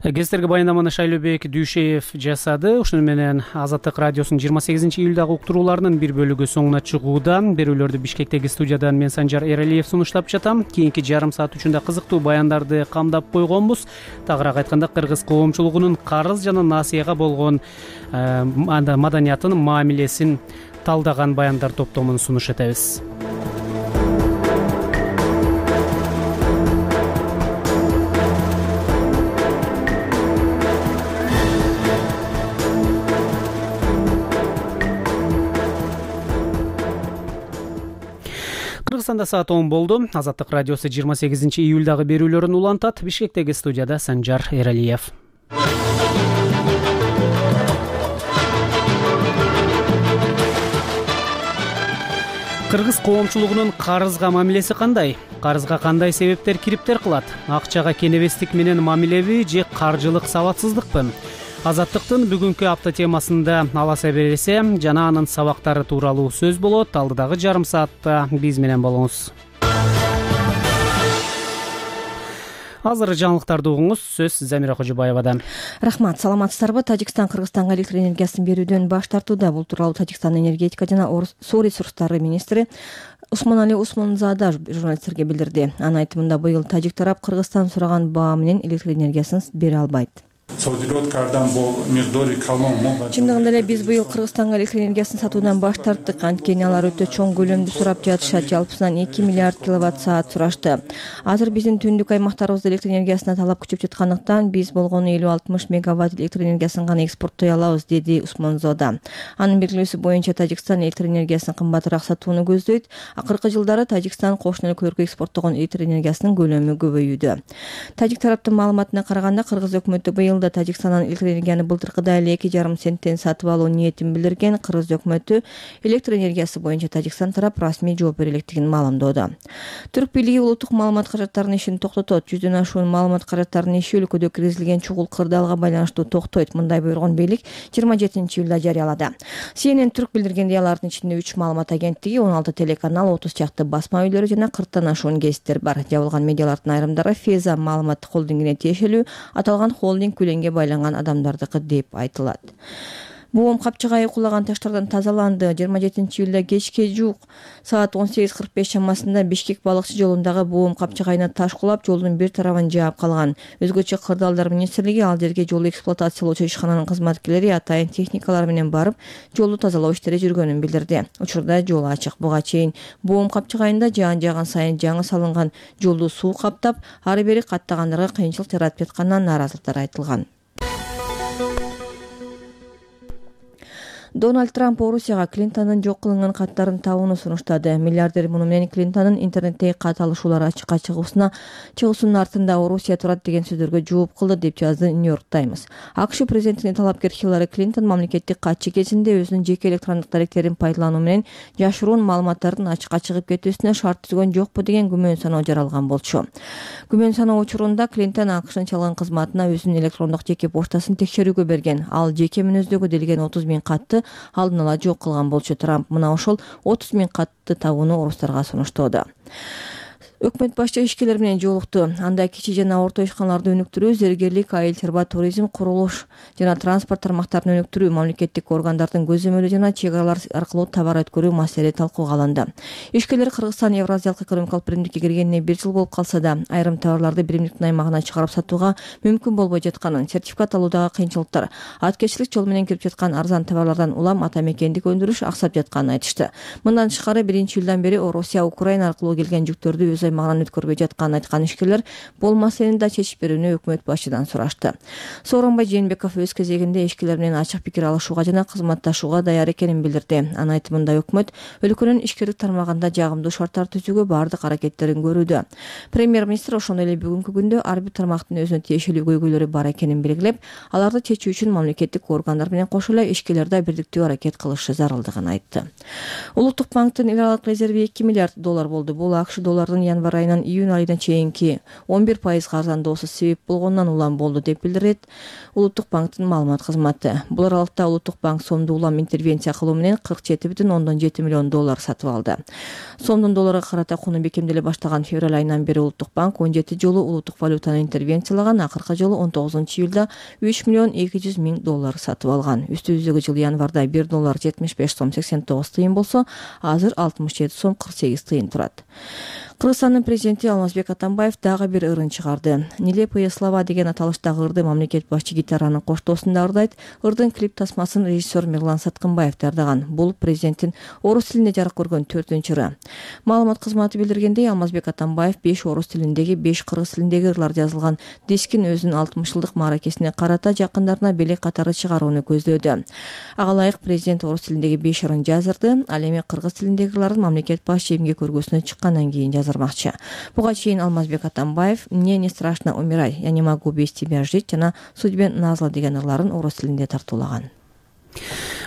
Кездерге баяндаманы Шайлообек Дүйшеев жасады. Ушуну менен Азаттык радиосунун 28 июлдагы уктурууларынын бир бөлүгү соңуна чыгууда. Берүүлөрдү Бишкектеги студиядан мен Санжар Эралиев сунуштап жатам. Кийинки жарым саат үчүндө кызыктуу баяндарды камдап койгонбуз. Тагыраак айтканда, кыргыз коомчулугунун карыз жана насыяга болгон маданиятын, мамилесин талдаган баяндар топтомун сунуш этебиз. Кыргызстанда саат 10 болду. Азаттык радиосу 28 июлдагы берүүлөрүн улантат. Бишкектеги студияда Санжар Эралиев. Кыргыз коомчулугунун карызга мамилеси кандай? Карызга кандай себептер кириптер кылат? Акчага кенебестик менен мамилеби же каржылык сабатсыздыкпы? Азаттыктын бүгүнкү апта темасында аласа бересе жана анын сабактары тууралуу сөз болот. Алдыдагы жарым саатта биз менен болуңуз. Азыр жаңылыктарды угуңуз. Сөз Замира Кожобаевадан. Рахмат, саламатсыздарбы? Тажикстан Кыргызстанга электр энергиясын берүүдөн баш тартууда. Бул тууралуу Тажикстандын энергетика жана суу ресурстары министри Усмонали Усмонзада журналисттерге билдирди. Анын айтымында быйыл тажик тарап Кыргызстан сураган баа менен электр энергиясын бере албайт. Чындыгында эле биз быйыл Кыргызстанга электр энергиясын сатуудан баш тарттык. Анткени алар өтө чоң көлөмдү сурап жатышат. Жалпысынан 2 миллиард киловатт-саат сурашты. Азыр биздин түндүк аймактарыбызда электр энергиясына талап күчөп жаткандыктан биз болгону 50-60 мегаватт электр энергиясын гана экспорттой алабыз, деди Усмонзода. Анын белгилөөсү боюнча Тажикстан электр энергиясын кымбатыраак сатууну көздөйт. Акыркы жылдары Тажикстан кошуна өлкөлөргө экспорттогон электр энергиясынын көлөмү көбөйүүдө. Тажик тараптын маалыматына караганда, Кыргыз өкмөтү быйыл Тажикстандан электр энергияны былтыркыдай эле 2,5 центтен сатып алуу ниетин билдирген. Кыргыз өкмөтү электр энергиясы боюнча Тажикстан тарап расмий жооп бере электигин маалымдоодо. Түрк бийлиги улуттук маалымат каражаттарынын ишин токтотот. 100дөн ашуун маалымат каражаттарынын иши өлкөдө киргизилген чугул кырдаалга байланыштуу токтойт. Мындай буйругун бийлик 27 июлда жарыялады. CNN Түрк билдиргендей, алардын ичинде 3 маалымат агенттиги, 16 телеканал, 30 чакты басма үйлөрү жана 40тан ашуун гезиттер бар. Жабылган медиалардын айрымдары Феза маалыматтык холдингине тиешелүү. Аталган холдинг күлөнгө байланган адамдардыкы деп айтылат. Боом капчыгайы кулаган таштардан тазаланды. 27 июлда кечке жуук саат 18:45 чамасында Бишкек балыкчы жолундагы боом капчыгайына таш кулап, жолдун бир тарабын жаап калган. Өзгөчө Кырдаалдар министрлиги ал жерге жол эксплуатациялоочу ишкананын кызматкерлери атайын техникалар менен барып, жолду тазалоо иштери жүргөнүн билдирди. Учурда жол ачык. Буга чейин боом капчыгайында жаан жаган сайын жаңы салынган жолду суу каптап, ары бери каттагандарга кыйынчылык жаратып жатканынан нааразылыктар айтылган. Дональд Трамп Орусияга Клинтондун жок кылынган каттарын табууну сунуштады. Миллиардер муну менен Клинтондун интернеттеги кат алышуулар ачыкка чыгуусунун артында Орусия турат деген сөздөргө жооп кылды, деп жазды New York Times. АКШ президентинин талапкер Хиллари Клинтон мамлекеттик катчы кезинде өзүнүн жеке электрондук даректерин пайдалануу менен жашыруун маалыматтардын ачыкка чыгып кетүүсүнө шарт түзгөн жокпу деген күмөн саноо жаралган болчу. Күмөн саноо учурунда Клинтон АКШнын чалган кызматына өзүнүн электрондук жеке поштасын текшерүүгө берген. Ал жеке мүнөздөгө делген 30 000 катты алдын ала жок кылган болчу. Трамп мына ошол 30 000 катты табууну орустарга сунуштоодо. Өкмөт башчы ишкерлер менен жолукту. Анда кичи жана орто ишканаларды өнүктүрүү, зергерлик, айыл чарба, туризм, курулуш жана транспорт тармактарын өнүктүрүү, мамлекеттик органдардын көзөмөлү жана чек аралар аркылуу товар өткөрүү маселеси талкууга алынды. Ишкерлер Кыргызстан Евразиялык экономикалык биримдикке киргенине 1 жыл болуп калса да, айрым товарларды биримдиктин аймагына чыгарып сатууга мүмкүн болбой жатканын, сертификат алуудагы кыйынчылыктар, аткечилик жол менен кирип жаткан арзан товарлардан улам ата мекендик өндүрүш аксап жатканын айтышты. Мындан тышкары 1-июлдан бери Орусия, Украина аркылуу келген жүктөрдү өз аймагынан өткөрбөй жатканын айткан ишкерлер бул маселени да чечип берүүнү өкмөт башчыдан сурашты. Сооронбай Жээнбеков өз кезегинде ишкерлер менен ачык пикир алышууга жана кызматташууга даяр экенин билдирди. Анын айтымында өкмөт өлкөнүн ишкерлик тармагында жагымдуу шарттар түзүүгө баардык аракеттерин көрүүдө. Премьер-министр ошондой эле бүгүнкү күндө ар бир тармактын өзүнө тиешелүү көйгөйлөрү бар экенин белгилеп, аларды чечүү үчүн мамлекеттик органдар менен кошо эле ишкерлер да бирдиктүү аракет кылышы зарылдыгын айтты. Улуттук банктын эл аралык резерви $2 миллиард болду. Бул АКШ долларынын январь айынан июнь айына чейинки 11% арзандоосу себеп болгонунан улам болду деп билдирет Улуттук банктын маалымат кызматы. Бул аралыкта Улуттук банк сомду улам интервенция кылуу менен $47,7 миллион сатып алды. Сомдун долларга карата куну бекемделе баштаган февраль айынан бери Улуттук банк 17 жолу улуттук валютаны интервенциялаган, акыркы жолу 19-июлда $3,200,000 сатып алган. Үстүбүздөгү жылы январда $1.75.89 болсо, азыр $67.48 турат. Кыргызстандын президенти Алмазбек Атамбаев дагы бир ырын чыгарды. Нелепые слова деген аталыштагы ырды мамлекет башчы гитаранын коштоосунда ырдайт. Ырдын клип тасмасын режиссер Мирлан Саткынбаев даярдаган. Бул президенттин орус тилинде жарык көргөн 4-ыры. Маалымат кызматы билдиргендей, Алмазбек Атамбаев 5 орус тилиндеги, 5 кыргыз тилиндеги ырлар жазылган дискин өзүнүн 60 жылдык мааракесине карата жакындарына белек катары чыгарууну көздөөдө. Ага ылайык президент орус тилиндеги 5 ырын жаздырды. Ал эми кыргыз тилиндеги ырларын мамлекет башчы эмгек көргөсүнө чыккандан кийин жаздырмакчы. Буга чейин Алмазбек Атамбаев «Мне не страшно умирать, я не могу без тебя жить» жана «Судьбе назла» деген ырларын орус тилинде тартуулаган.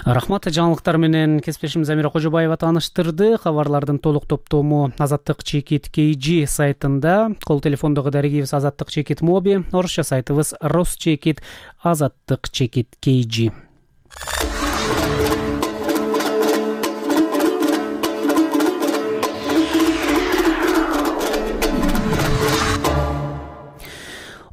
Рахмат. Жаңылыктар менен кесиптешим Замира Кожобаева тааныштырды. Кабарлардын толук топтому Азаттык чекит KG сайтында, кол телефондогу дарегибиз Азаттык чекит Моби, орусча сайтыбыз Росчекит Азаттык чекит KG.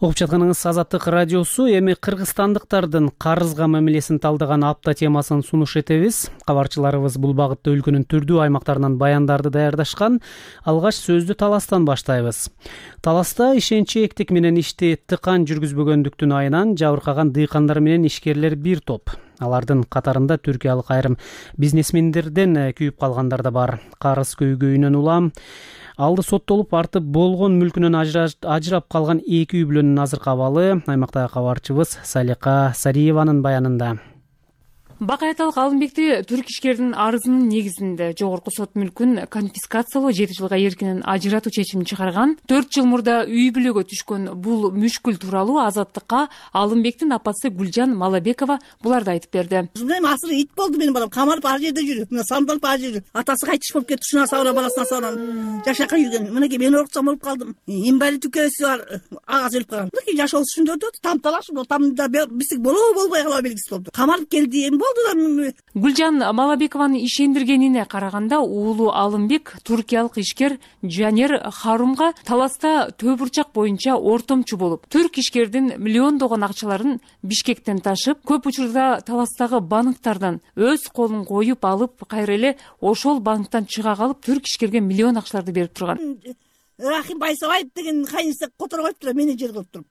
Угуп жатканыңыз Азаттык радиосу. Эми кыргызстандыктардын карызга мамилесин талдаган апта темасын сунуш этебиз. Кабарчыларыбыз бул багытта өлкөнүн түрдүү аймактарынан баяндарды даярдашкан. Алгач сөздү Таластан баштайбыз. Таласта ишенчээктик менен ишти тыкан жүргүзбөгөндүктүн айынан жабыркаган дыйкандар менен ишкерлер бир топ. Алардын катарында түркиялык айрым бизнесмендерден күйүп калгандар да бар. Карыз көйгөйүнөн улам алды соттолуп артып болгон мүлкүнөн ажырап калган 2 үй бүлөнүн азыркы абалы аймактагы кабарчыбыз Салика Сариеванын баянында. Бакаяталык Алымбекти түрк ишкердин арызынын негизинде жогорку сот мүлкүн конфискациялоо 7 жылга эркинен ажыратуу чечимин чыгарган. 4 жыл мурда үй бүлөгө түшкөн бул мүшкүл тууралуу Азаттыкка Алымбектин апасы Гүлжан Малабекова буларды айтып берди. Асыр ит болду менин балам, камалып ар жерде жүрүп, мына самдалып ар жерде. Атасы кайтыш болуп кетти, ушуна сабыра баласына сабыран. Жашакка жүргөн. Мынакей мен оруксам болуп калдым. Инвалид үкөсү бар, агасы өлүп калган. Мынакей жашоо ушундойдо тамталаш, тамда бисик болобу болбой калуу белгиси болду. Камалып келди, эми Гүлжан Малабекованын ишендиргенине караганда, уулу Алымбек туркиялык ишкер Жанер Харумга Таласта төө бурчак боюнча ортомчу болуп, түрк ишкердин миллиондогон акчаларын Бишкектен ташып, көп учурда Таластагы банктардан өз колун коюп алып, кайра эле ошол банктан чыга калып, түрк ишкерге миллион акчаларды берип турган. Рахим Байсабаев деген кайынсы которуп коюптур, менеджер кылып туруп.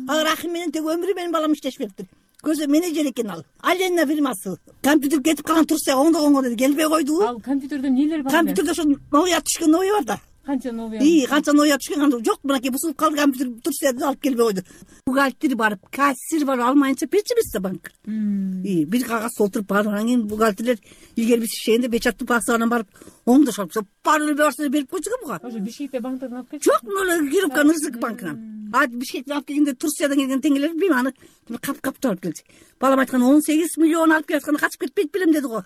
Ал Рахим менен тег өмүрү менин балам иштешпептир. Көзө менеджер экен ал. Алена фирмасы. Компьютер кетип калган Турция оңдогонго деди, келбей койду. Ал компьютерде нелер бар? Компьютерде ошо новый түшкөн новый бар да. Канча новый? Канча новый түшкөн анда жок, мынакей бузулуп калды компьютер Турциядан алып келбей койду. Бухгалтер бар, кассир бар, алмайынча печимизде банк. Бир кагаз толтуруп баргандан кийин бухгалтерлер илгери биз ишегенде печаттуу паспортунан барып оңдошуп, пароль берсе берип койчу буга. Ошо Бишкекте банктан алып келчү? Жок, мына Кировка Рызык банкынан. Бишкектен алып келгенде Турциядан келген теңелер билбейм, аны кап алып келди. Балам айткан 18 миллион алып келатканда качып кетпейт белем деди го.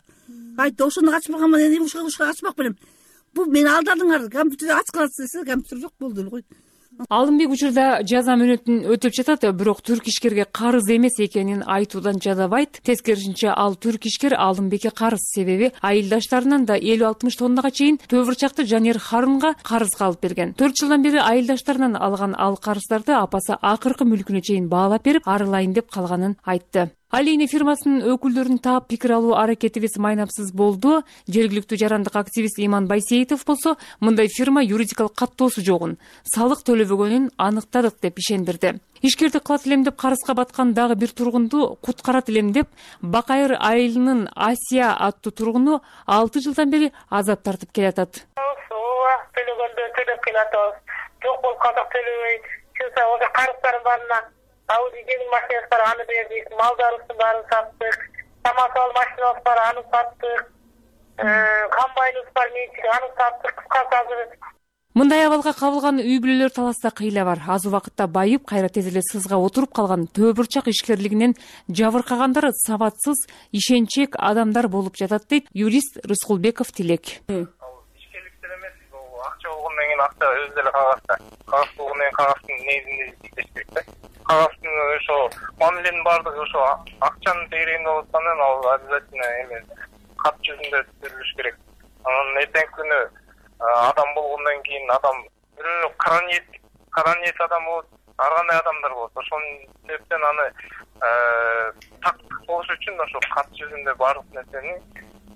Айтты, ошондо качып калганмын, эми ушуга качпак белем. Бул мени алдадыңар, компьютерди ачкылат десе, компьютер жок болду эле кой. Алымбек учурда жаза мөөнөтүн өтөп жатат, бирок түрк ишкерге карыз эмес экенин айтуудан жадабайт. Тескерисинче ал түрк ишкер Алымбекке карыз, себеби айылдаштарынан да 50-60 тоннага чейин төө бурчакты Жанер Харунга карызга алып берген. 4 жылдан бери айылдаштарынан алган ал карыздарды апасы акыркы мүлкүнө чейин баалап берип, арылайын деп калганын айтты. Алейне фирмасынын өкүлдөрүн таап пикир алуу аракетибиз майнапсыз болду. Жергиликтүү жарандык активист Иман Байсеитов болсо, мындай фирма юридикалык каттоосу жогун, салык төлөбөгөнүн аныктадык деп ишендирди. Ишкерди кылат элем деп карызга баткан дагы бир тургунду куткарат элем деп Бакайыр айылынын Асия аттуу тургуну 6 жылдан бери азап тартып келатат. Төлөгөндө төлөп келатабыз. Жок болуп калсак төлөбөй, чынса ошо карыздардын баарына Ауди жеңил машинасы бар, аны бердик, малдарыбыздын баарын саттык, самосвал машинабыз бар, аны саттык, комбайныбыз бар, менчик, аны саттык, кыскасы азыр. Мындай абалга кабылган үй бүлөлөр Таласта кыйла бар. Аз убакытта байып, кайра тез эле сызга отуруп калган төө бурчак ишкерлигинен жабыркагандар сабатсыз, ишенчек адамдар болуп жатат дейт юрист Рыскулбеков Тилек. Ишкерликтер эмес, акча болгондон кийин акча өзү эле кагазда болгондон кийин кагаздын негизинде иштеш керек да. Кагаздын ошо мамиленин баардыгы ошо акчанын тегерегинде болуп аткандан ал обязательно эме кат жүзүндө түзүлүш керек. Анан эртеңки күнү адам болгондон кийин адам бирөө кара ниет адам болот, ар кандай адамдар болот. Ошонун себептен аны тактык болуш үчүн ошо кат жүзүндө баардык нерсени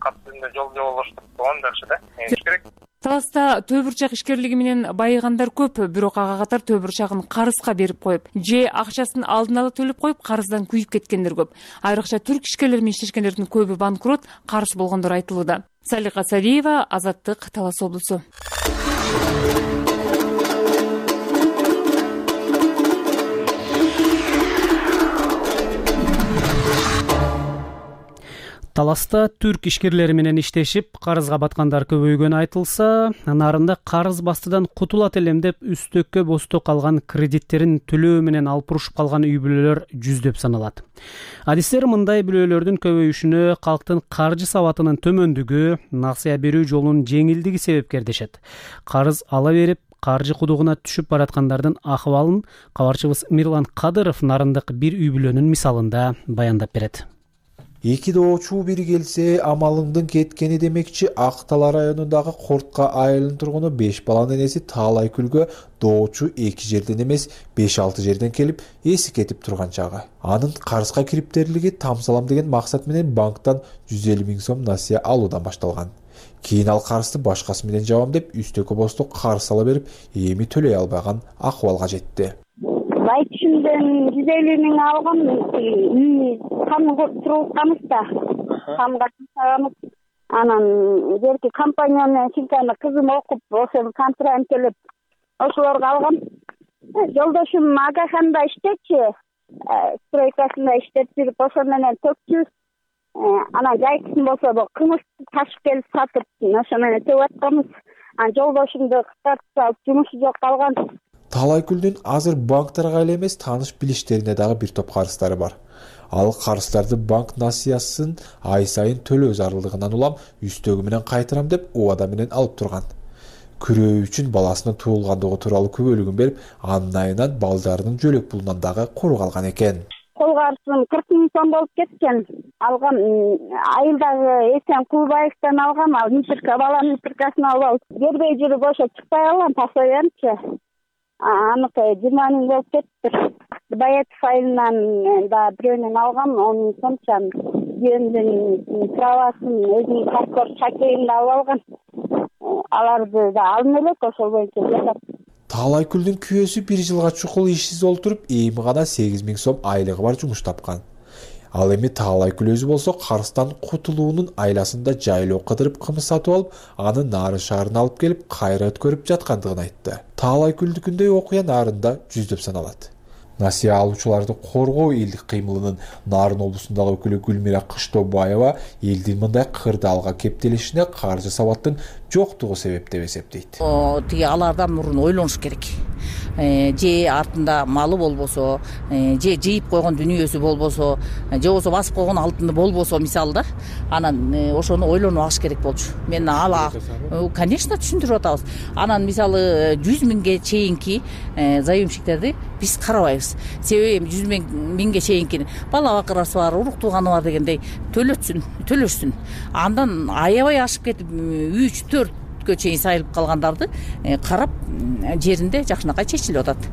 кат жүзүндө жолбоштуруп койгон жакшы да. Керек. Таласта төө бурчак ишкерлиги менен байыгандар көп, бирок ага катар төө бурчагын карызга берип коюп, же акчасын алдын ала төлөп коюп карыздан күйүп кеткендер көп. Айрыкча түрк ишкерлери менен иштешкендердин көбү банкрот, карыз болгондор айтылууда. Салика Сариева, Азаттык, Талас облусу. Таласта түрк ишкерлери менен иштешип, карызга баткандар көбөйгөнү айтылса, нарында карыз бастыдан кутулат элем деп үстөккө босток калган кредиттерин төлөө менен алып урушуп калган үй бүлөлөр жүздөп саналат. Адистер мындай бүлөлөрдүн көбөйүшүнө калктын каржы сабатынын төмөндүгү, насыя берүү жолунун жеңилдиги себепкер дешет. Карыз ала берип, каржы кудугуна түшүп бараткандардын акыбалын кабарчыбыз Мирлан Кадыров нарындык бир үй бүлөнүн мисалында баяндап берет. Эки доочу бири келсе, амалыңдын кеткени демекчи. Ак Талаа районундагы Кортко айылынын тургуну 5 баланын энеси Таалайкүлгө доочу эки жерден эмес 5-6 жерден келип, эси кетип турган чагы. Анын карызга кириптерлиги тамсалам деген максат менен банктан 150 000 сом насыя алуудан башталган. Кийин ал карызды башкасы менен жабам деп үстөккө босток карыз ала берип, эми төлөй албаган акыбалга жетти. Айтышымдан 150 000 алгам, кам туруп да. Камга чыгабыз. Анан жерки компания менен Силканы кызым окуп, ошол контракт төлөп, ошолорго алгам. Жолдошум Агаханда иштечи, стройкасында иштеп жүрүп, ошол менен төкчүбүз. Анан жайкысын болсо кымыз ташып келип сатып, ошо менен төп атканбыз. Анан жолдошумду кыскартып алып, жумушу жок калган. Таалайкүлдүн азыр банктарга эле эмес, тааныш билиштерине дагы бир топ карыздары бар. Ал карыздарды банк насыясын ай сайын төлөө зарылдыгынан улам үстөгү менен кайтарам деп убада менен алып турган. Күрөө үчүн баласынын туулгандыгы тууралуу күбөлүгүн берип, анын айынан балдарынын жөлөк пулунан дагы куру калган экен. Кол карызым 40 000 сом болуп кеткен. Алгам айылдагы Эсен Кулбаевден алгам, ал баланын митркасын алып, бербей жүрүп ошо чыкпай калган, ташлаганчы. Аныкы 20 000 болуп кетти. Баятов айылынан да бирөөнөн алгам, 10 000 сомчан. Жөнүндөн правасын, өзүнүн паспорт шакегин да алып алган. Аларды да алып элек, ошол боюнча жашап. Таалайкүлдүн күйөөсү 1 жылга чукул ишсиз олтуруп, эми гана 8 000 сом айлыгы бар жумуш тапкан. Ал эми Таалайкүл өзү болсо карыздан кутулуунун айласында жайлоо кыдырып кымыз сатып алып, аны Нарын шаарына алып келип, кайра өткөрүп жаткандыгын айтты. Таалайкүлдүкүндөй окуя нарында жүздөп саналат. Насыя алуучуларды коргоо элдик кыймылынын Нарын облусундагы өкүлү Гүлмира Кыштобаева элдин мындай кырдаалга кептелишине каржы сабаттын жоктугу себеп деп эсептейт. Тиги алардан мурун ойлонуш керек. Же артында малы болбосо, же жыйып койгон дүнүйөсү болбосо, же болбосо басып койгон алтыны болбосо, мисалы да, анан ошону ойлонуп алыш керек болчу. Мен конечно түшүндүрүп атабыз. Анан мисалы 100 000ге чейинки заемщиктерди биз карабайбыз. Себеби 100 000ге чейинки бала бакырасы бар, урук тууганы бар дегендей төлөшсүн. Андан аябай ашып кетип 3-4 чейин сайылып калгандарды карап жеринде жакшынакай чечилип атат.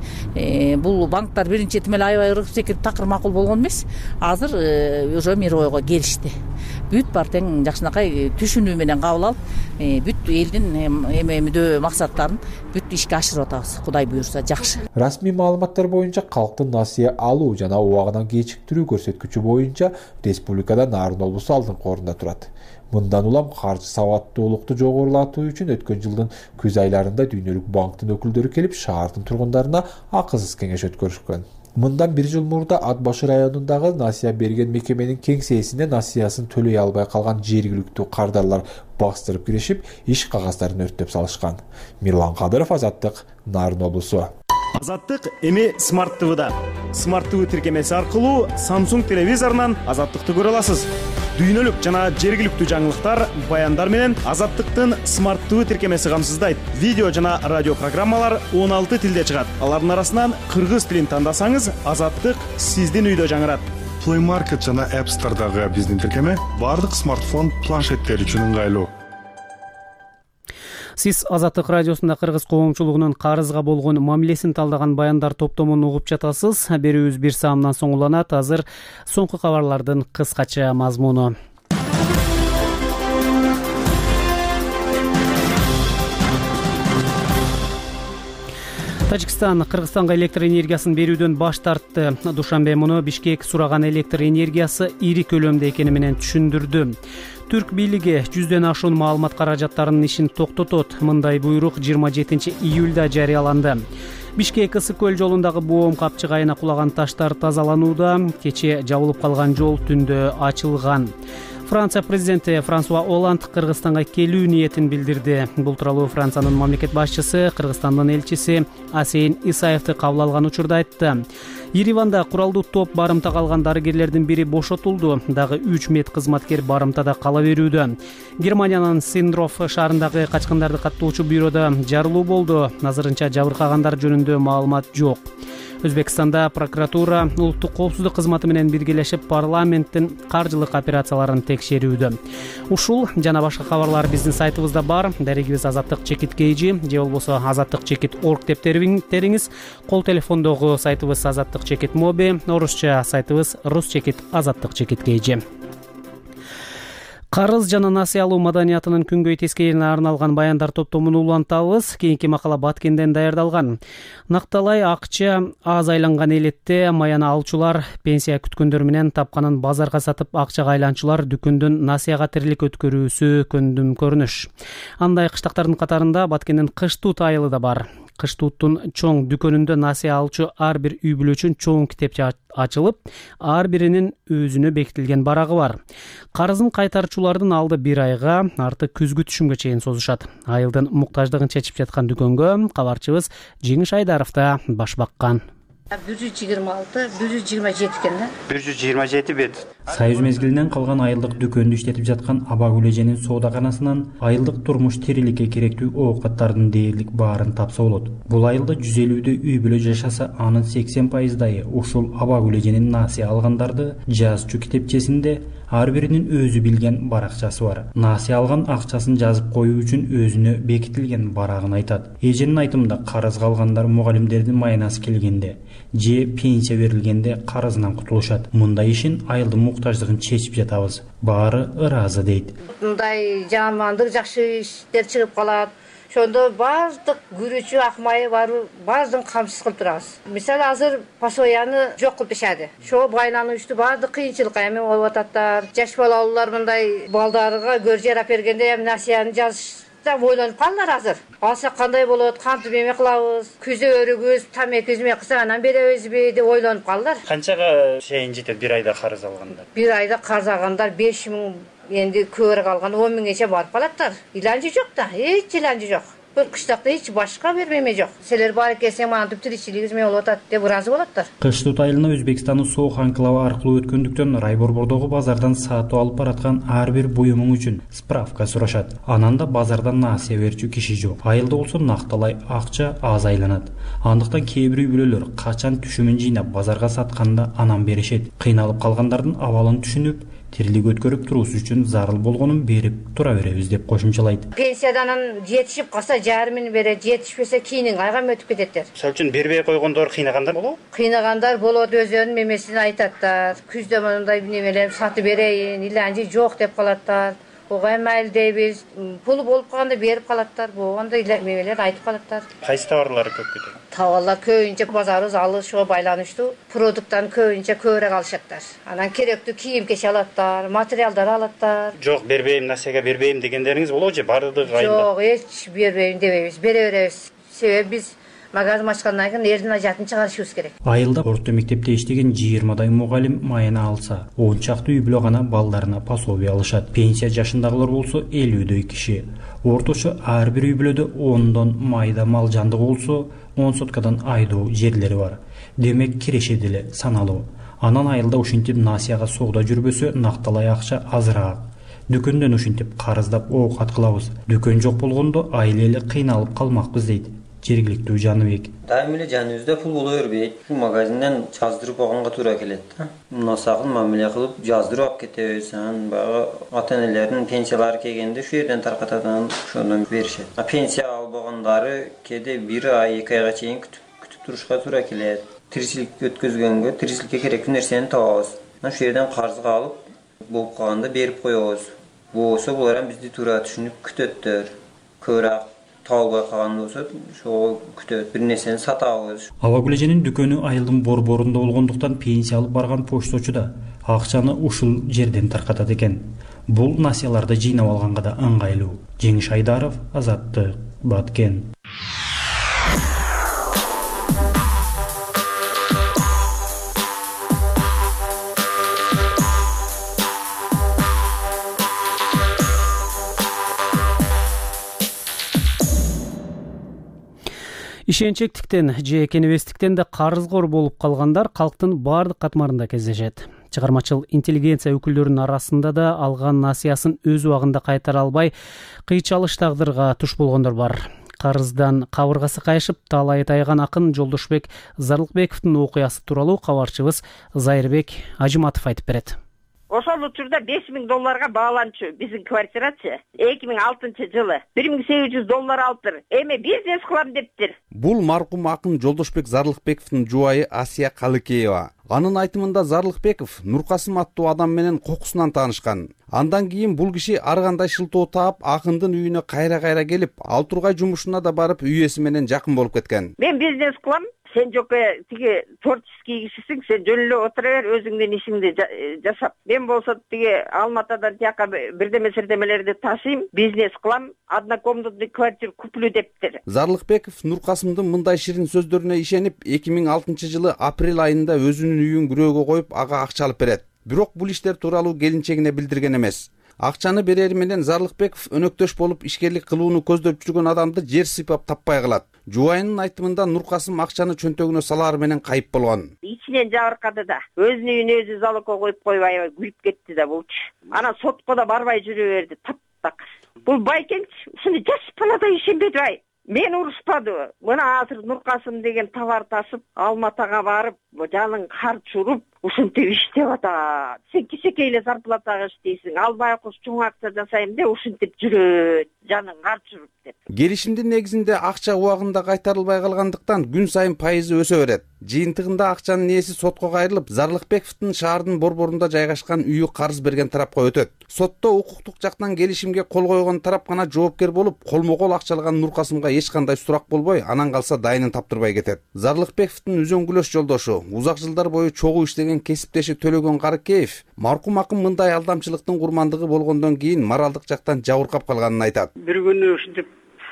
Бул банктар биринчи этим эле аябай ыргып секирип такыр макул болгон эмес. Азыр уже мировойго келишти. Бүт бар тең жакшынакай түшүнүү менен кабыл алып, бүт элдин эмедөө максаттарын бүт ишке ашырып атабыз. Кудай буйрса жакшы. Расмий маалыматтар боюнча калктын насыя алуу жана убагынан кечиктирүү көрсөткүчү боюнча республикада Нарын облусу алдыңкы орунда турат. Мындан улам каржы сабаттуулукту жогорулатуу үчүн өткөн жылдын күз айларында дүйнөлүк банктын өкүлдөрү келип, шаардын тургундарына акысыз кеңеш өткөрүшкөн. Мындан 1 жыл мурда Ат башы районундагы насыя берген мекеменин кеңсесине насыясын төлөй албай калган жергиликтүү кардарлар бастырып киришип, иш кагаздарын өрттөп салышкан. Мирлан Кадыров, Азаттык, Нарын облусу. Азаттык эми Smart TV'да. Smart TV тиркемеси аркылуу Samsung телевизорунан Азаттыкты көрө аласыз. дүйнөлүк жана жергиликтүү жаңылыктар, баяндар менен Азаттыктын смарттуу тиркемеси камсыздайт. Видео жана радио программалар 16 тилде чыгат. Алардын арасынан кыргыз тилин тандасаңыз, Азаттык сиздин үйдө жаңырат. Play Market жана App Store'дагы биздин тиркеме бардык смартфон планшеттер үчүн ыңгайлуу. Сиз Азаттык радиосунда кыргыз коомчулугунун карызга болгон мамилесин талдаган баяндар топтомун угуп жатасыз. Берүүбүз 1 саамдан соң уланат. Азыр соңку кабарлардын кыскача мазмуну. Тажикстан Кыргызстанга электр энергиясын берүүдөн баш тартты. Душанбе муну Бишкек сураган электр энергиясы ири көлөмдө экени менен түшүндүрдү. Түрк бийлиги 100дөн ашуун маалымат каражаттарынын ишин токтотот. Мындай буйрук 27 июлда жарыяланды. Бишкек Ысык көл жолундагы боом капчыгайына кулаган таштар тазаланууда. Кече жабылып калган жол түндө ачылган. Франция президенти Франсуа Оланд Кыргызстанга келүү ниетин билдирди. Бул тууралуу Франциянын мамлекет башчысы Кыргызстандын элчиси Асейин Исаевди кабыл алган учурда айтты. Ереванда куралдуу топ барымтага алган дарыгерлердин бири бошотулду. Дагы 3 медкызматкер барымтада кала берүүдө. Германиянын Синдров шаарындагы качкындарды каттоочу бюрода жарылуу болду. Азырынча жабыркагандар жөнүндө маалымат жок. Өзбекстанда прокуратура улуттук коопсуздук кызматы менен биргелешип парламенттин каржылык операцияларын текшерүүдө. Ушул жана башка кабарлар биздин сайтыбызда бар. Дарегибиз Азаттык чекит KG же болбосо Азаттык чекит org деп териңиз. Кол телефондогу сайтыбыз Азаттык чекит моби, орусча сайтыбыз Рус чекит Азаттык чекит KG. Карыз жана насыя алуу маданиятынын күнгөй тескерине арналган баяндар топтомун улантабыз. Кийинки макала Баткенден даярдалган. Накталай акча аз айланган элетте маяны алчулар пенсия күткөндөр менен тапканын базарга сатып акчага айланчулар дүкөндөн насыяга тирлик өткөрүүсү көндүм көрүнүш. Андай кыштактардын катарында Баткендин кыш туут айылы да бар. Кыш тууттун чоң дүкөнүндө насыя алчу ар бир үй бүлө үчүн чоң китепче ачылып, ар биринин өзүнө бекитилген барагы бар. Карызын кайтарчулардын алды 1 айга, арты күзгү түшүмгө чейин созушат. Айылдын муктаждыгын чечип жаткан дүкөнгө кабарчыбыз Жеңиш Айдаров да баш баккан. 126, 127 экен да. 127 бет. Союз мезгилинен калган айылдык дүкөндү иштетип жаткан Абагүл эженин соодаканасынан айылдык турмуш тириликке керектүү оокаттардын дээрлик баарын тапса болот. Бул айылда 150 үй бүлө жашаса, анын 80% ушул Абагүл эженин насыя алгандарды жазчу китепчесинде ар биринин өзү билген баракчасы бар. Насыя алган акчасын жазып коюу үчүн өзүнө бекитилген барагын айтат. Эженин айтымында карызга алгандар мугалимдердин майнасы келгенде же пенсия берилгенде карызынан кутулушат. Мындай ишин айылдын муктаждыгын чечип жатабыз. Баары ыраазы дейт. Мындай жамандык жакшы иштер чыгып калат. Ошондо баардык күрүүчү акмайы бар, баардыгын камсыз кылып турабыз. Мисалы азыр пасояны жок кылып ташады. Ошо байлануучту баардык кыйынчылыкка эми болуп ататтар. Жаш балалуулар мындай балдарга көр жарап бергенде эми насыяны жазышта ойлонуп калдылар азыр. Алсак кандай болот, кантип эме кылабыз, күзө өрүгүбүз, тамеки эме кылсак анан беребизби деп ойлонуп калдылар. Канчага чейин жетет 1 айда карыз алгандар? 1 айда карыз алгандар 5000, энди көбүрөөк алган 10.000гече барып калаттар. Иланчы жок да, эч иланчы жок. Бир кыштакта эч башка бермеме жок. Силер бар экенсиң, мана түп тиричилигиңиз эме болуп атат деп ыраазы болоттор. Кыш туут айылына Өзбекстандын соок анклавы аркылуу өткөндүктөн Райборбордогу базардан сатып алып бараткан ар бир буюмуң үчүн справка сурашат. Анан да базардан насыя берчү киши жок. Айылда болсо накталай акча аз айланат. Андыктан кээ бир үй бүлөлөр качан түшүмүн жыйнап базарга сатканда анан беришет. Кыйналып калгандардын абалын түшүнүп, тирлик өткөрүп туруусу үчүн зарыл болгонун берип тура беребиз деп кошумчалайт. Пенсиядан жетишип калса жарымын берет, жетишпесе кийинин айга өтүп кететтер. Мисалы үчүн бербей койгондор кыйнагандар болобу? Кыйнагандар болот, өзүнүн мемесин айтаттар. Күздө мындай немелер сатып берейин, иланчы жок деп калаттар. Ого майыл дейбиз, пулу болуп калганда берип калаттар. Болгондо мемелер айтып калаттар. Кайсы товарлар көп кетет? Товарлар көбүнчө базарыбыз алышууга байланыштуу. Продукттан көбүнчө көбүрөөк алышаттар. Анан керектүү кийим-кечек алаттар, материалдар алаттар. Жок, бербейм, насыяга бербейм дегендериңиз болобу же бардыгы айылда? Жок, эч бербейм дебейбиз, бере беребиз. Себеби биз магазин ачкандан кийин элдин ажатын чыгарышыбыз керек. Айылда орто мектепте иштеген 20дай мугалим майына алса, 10 чакты үй бүлө гана балдарына пособие алышат. Пенсия жашындагылар болсо 50дөй киши. Орточо ар бир үй бүлөдө 10дон майда мал жандыгы болсо 10 соткадан айдоо жерлери бар. Демек кирешеди эле саналуу. Анан айылда ушинтип насыяга соода жүрбөсө накталай акча азыраак. Дүкөндөн ушинтип карыздап оокат кылабыз. Дүкөн жок болгондо айыл эли кыйналып калмакпыз дейт жергиликтүү Жаныбек. Дайым эле жаныбызда пул боло бербейт. Магазинден жаздырып алганга туура келет да. Насакын мамиле кылып жаздырып алып кетебиз. Анан баягы ата-энелердин пенсиялары келгенде шу жерден таркатат, анан ошондон беришет. Пенсия албагандары кээде 1 ай 2 айга чейин күтүп турушка туура келет. Тиричилик өткөзгөнгө тиричиликке керектүү нерсени табабыз. Анан шу жерден карызга алып болуп калганда берип коебуз. Болсо булар эми бизди туура түшүнүп күтөттөр. Көбүрөөк табылбай калган болсо ошого күтөт, бир нерсени сатабыз. Абагүлеженин дүкөнү айылдын борборунда болгондуктан пенсия алып барган почточу да акчаны ушул жерден таркатат экен. Бул насыяларды жыйнап алганга да ыңгайлуу. Жеңиш Айдаров, Азаттык, Баткен. Ишенчектиктен же кенебестиктен да карызгор болуп калгандар калктын баардык катмарында кездешет. Чыгармачыл интеллигенция өкүлдөрүнүн арасында да алган насыясын өз убагында кайтара албай кыйчалыш тагдырга туш болгондор бар. Карыздан кабыргасы кайышып талайы тайган акын Жолдошбек Зарлыкбековдун окуясы тууралуу кабарчыбыз Зайырбек Ажыматов айтып берет. Ошол учурда $5,000 бааланчу биздин квартирачы 2006-жылы $1,800 алыптыр. Эми бизнес кылам дептир. Бул маркум акын Жолдошбек Зарлыкбековдун жубайы Асия Калыкеева. Анын айтымында Зарлыкбеков Нуркасым аттуу адам менен кокусунан таанышкан. Андан кийин бул киши ар кандай шылтоо таап акындын үйүнө кайра келип, ал тургай жумушуна да барып үй ээси менен жакын болуп кеткен. Мен бизнес кылам. Сен жокко тиги творческий кишисиң, сен жөн эле отура бер, өзүңдүн ишиңди жасап. Мен болсо тиги Алматадан тияка бирдеме-сирдемелерди ташыйм, бизнес кылам, однокомнатный квартира куплю дептир. Зарлыкбеков Нуркасымдын мындай ширин сөздөрүнө ишенип, 2006-жылы апрель айында өзүнүн үйүн күрөөгө коюп, ага акча алып берет. Бирок бул иштер тууралуу келинчегине билдирген эмес. Акчаны берери менен Зарлыкбеков өнөктөш болуп ишкерлик кылууну көздөп жүргөн адамды жер сыйпап таппай калат. Жубайынын айтымында Нуркасым акчаны чөнтөгүнө салаар менен кайып болгон. Ичинен жабыркады да. Өзүнүн үйүнө өзү залогко коюп койбой күлүп кетти да болчу. Анан сотко да барбай жүрө берди, таптак. Бул байкенч ушуну жаш баладай ишенбеди ай. Мен урушпадыбы. Мына азыр Нуркасым деген товар ташып, Алматага барып, жаның карч уруп, ушинтип иштеп атат. Сен кичинекей эле зарплатага иштейсиң, албай кош чоң акча жасайм деп ушинтип жүрөт, жаның карч уруп деп. Келишимдин негизинде акча убагында кайтарылбай калгандыктан күн сайын пайызы өсө берет. Жыйынтыгында акчанын ээси сотко кайрылып, Зарлыкбековдун шаардын борборунда жайгашкан үйү карыз берген тарапка өтөт. Сотто укуктук жактан келишимге кол койгон тарап гана жоопкер болуп, колмо-кол акча алган Нуркасымга эч кандай сурак болбой, анан калса дайынын таптырбай кетет. Зарлыкбековдун үзөңгүлөш жолдошу, узак жылдар бою чогуу иштеген кесиптеши Төлөгөн Карыкеев маркум акын мындай алдамчылыктын курмандыгы болгондон кийин моралдык жактан жабыркап калганын айтат. Бир күнү ушинтип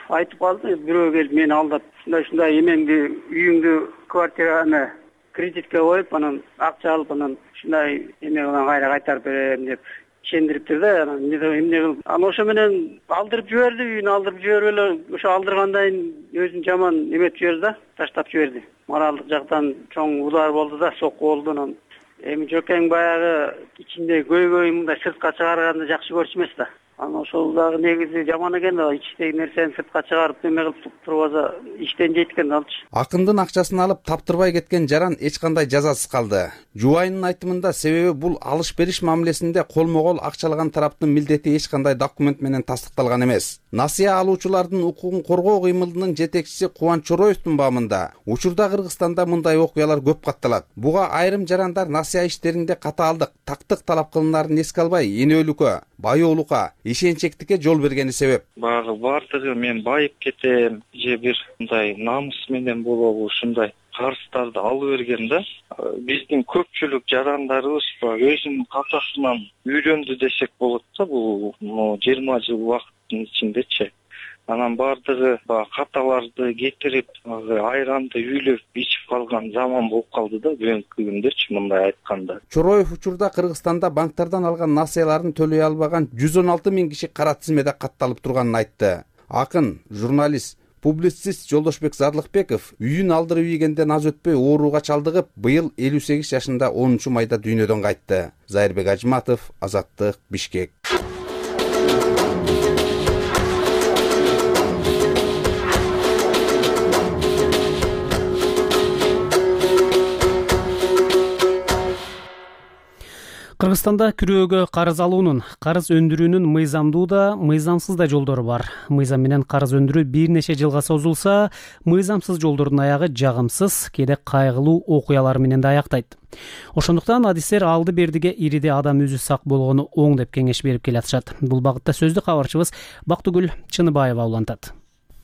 айтып калды, бирөө келип мени алдап, ушундай эмеңди, үйүңдү квартираны кредитке коюп, анан акча алып, анан ушундай эме менен кайра кайтарып берем деп ишендириптир да. Анан эмне кылып, анан ошо менен алдырып жиберди, үйүнү алдырып жиберип эле ошо алдыргандан кийин өзүн жаман эметип жиберди да, таштап жиберди. Моралдык жактан чоң удар болду да, сокку болду. Анан эми жокең баягы ичинде көйгөй мындай сыртка чыгарганды жакшы көрчү эмес да. Анан ошол дагы негизи жаман экен да, ичтеги нерсени сыртка чыгарып эме кылып турбаса иштен жейт экен алчы. Акындын акчасын алып таптырбай кеткен жаран эч кандай жазасыз калды. Жубайынын айтымында себеби бул алыш-бериш мамилесинде колмо-кол акча алган тараптын милдети эч кандай документ менен тастыкталган эмес. Насыя алуучулардын укугун коргоо кыймылынын жетекчиси Кубанч Чороевдун баамында учурда Кыргызстанда мындай окуялар көп катталат. Буга айрым жарандар насыя иштеринде катаалдык, тактык талап кылынаарын эске албай, энөлүккө, баyoolукка, ишенчектикке жол бергени себеп. Баягы бардыгы мен байып кетем же бир мындай намус менен болобу ушундай карыздарды алып берген да. Биздин көпчүлүк жарандарыбыз өзүнүн калтасынан үйрөндү десек болот да, бул 20 жыл убакыттын ичиндечи. Анан бардыгы каталарды кетирип, айранды үйлөп ичип калган заман болуп калды да бүгүнкү күндөрчү мындай айтканда. Чороев учурда Кыргызстанда банктардан алган насыяларын төлөй албаган 116 000 киши кара тизмеде катталып турганын айтты. Акын, журналист, Публицист Жолдошбек Зарлыкбеков үйүн алдырып ийгенден аз өтпөй ооруга чалдыгып, быйыл 58 жашында 10-майда дүйнөдөн кайтты. Зайырбек Ажматов, Азаттык, Бишкек. Кыргызстанда күрөөгө карыз алуунун, карыз өндүрүүнүн мыйзамдуу да, мыйзамсыз да жолдору бар. Мыйзам менен карыз өндүрүү бир нече жылга созулса, мыйзамсыз жолдордун аягы жагымсыз, кээде кайгылуу окуялар менен да аяктайт. Ошондуктан адистер алды-бердиге ириде адам өзү сак болгону оң деп кеңеш берип келатышат. Бул багытта сөздү кабарчыбыз Бактыгүл Чыныбаева улантат.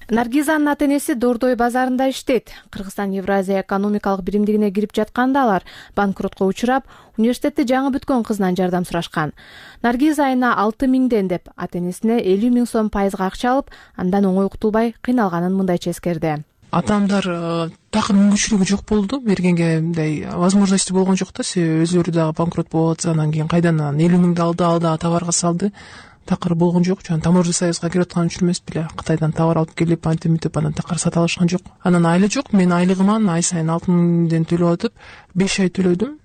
Наргизанын ата-энеси Дордой базарында иштейт. Кыргызстан Евразия экономикалык биримдигине кирип жатканда алар банкротко учурап, университетти жаңы бүткөн кызынан жардам сурашкан. Наргиз айына 6.000 деп ата-энесине 50.000 сом пайызга акча алып, андан оңой кутулбай кыйналганын мындайча эскерди. Атамдар такыр мүмкүнчүлүгү жок болду, бергенге мындай возможности болгон жок да, себеби өзүлөрү дагы банкрот болуп атса, анан кийин кайдан 50.000 алды, ал дагы товарга салды. Такыр болгон жок. Жана таможня союзга кирип аткан үчүн эмес беле, Кытайдан товар алып келип, антимитип анан такыр сата алышкан жок. Анан айла жок, мен айлыгыман ай сайын 6.000 төлөп атып, 5 ай төлөдүм.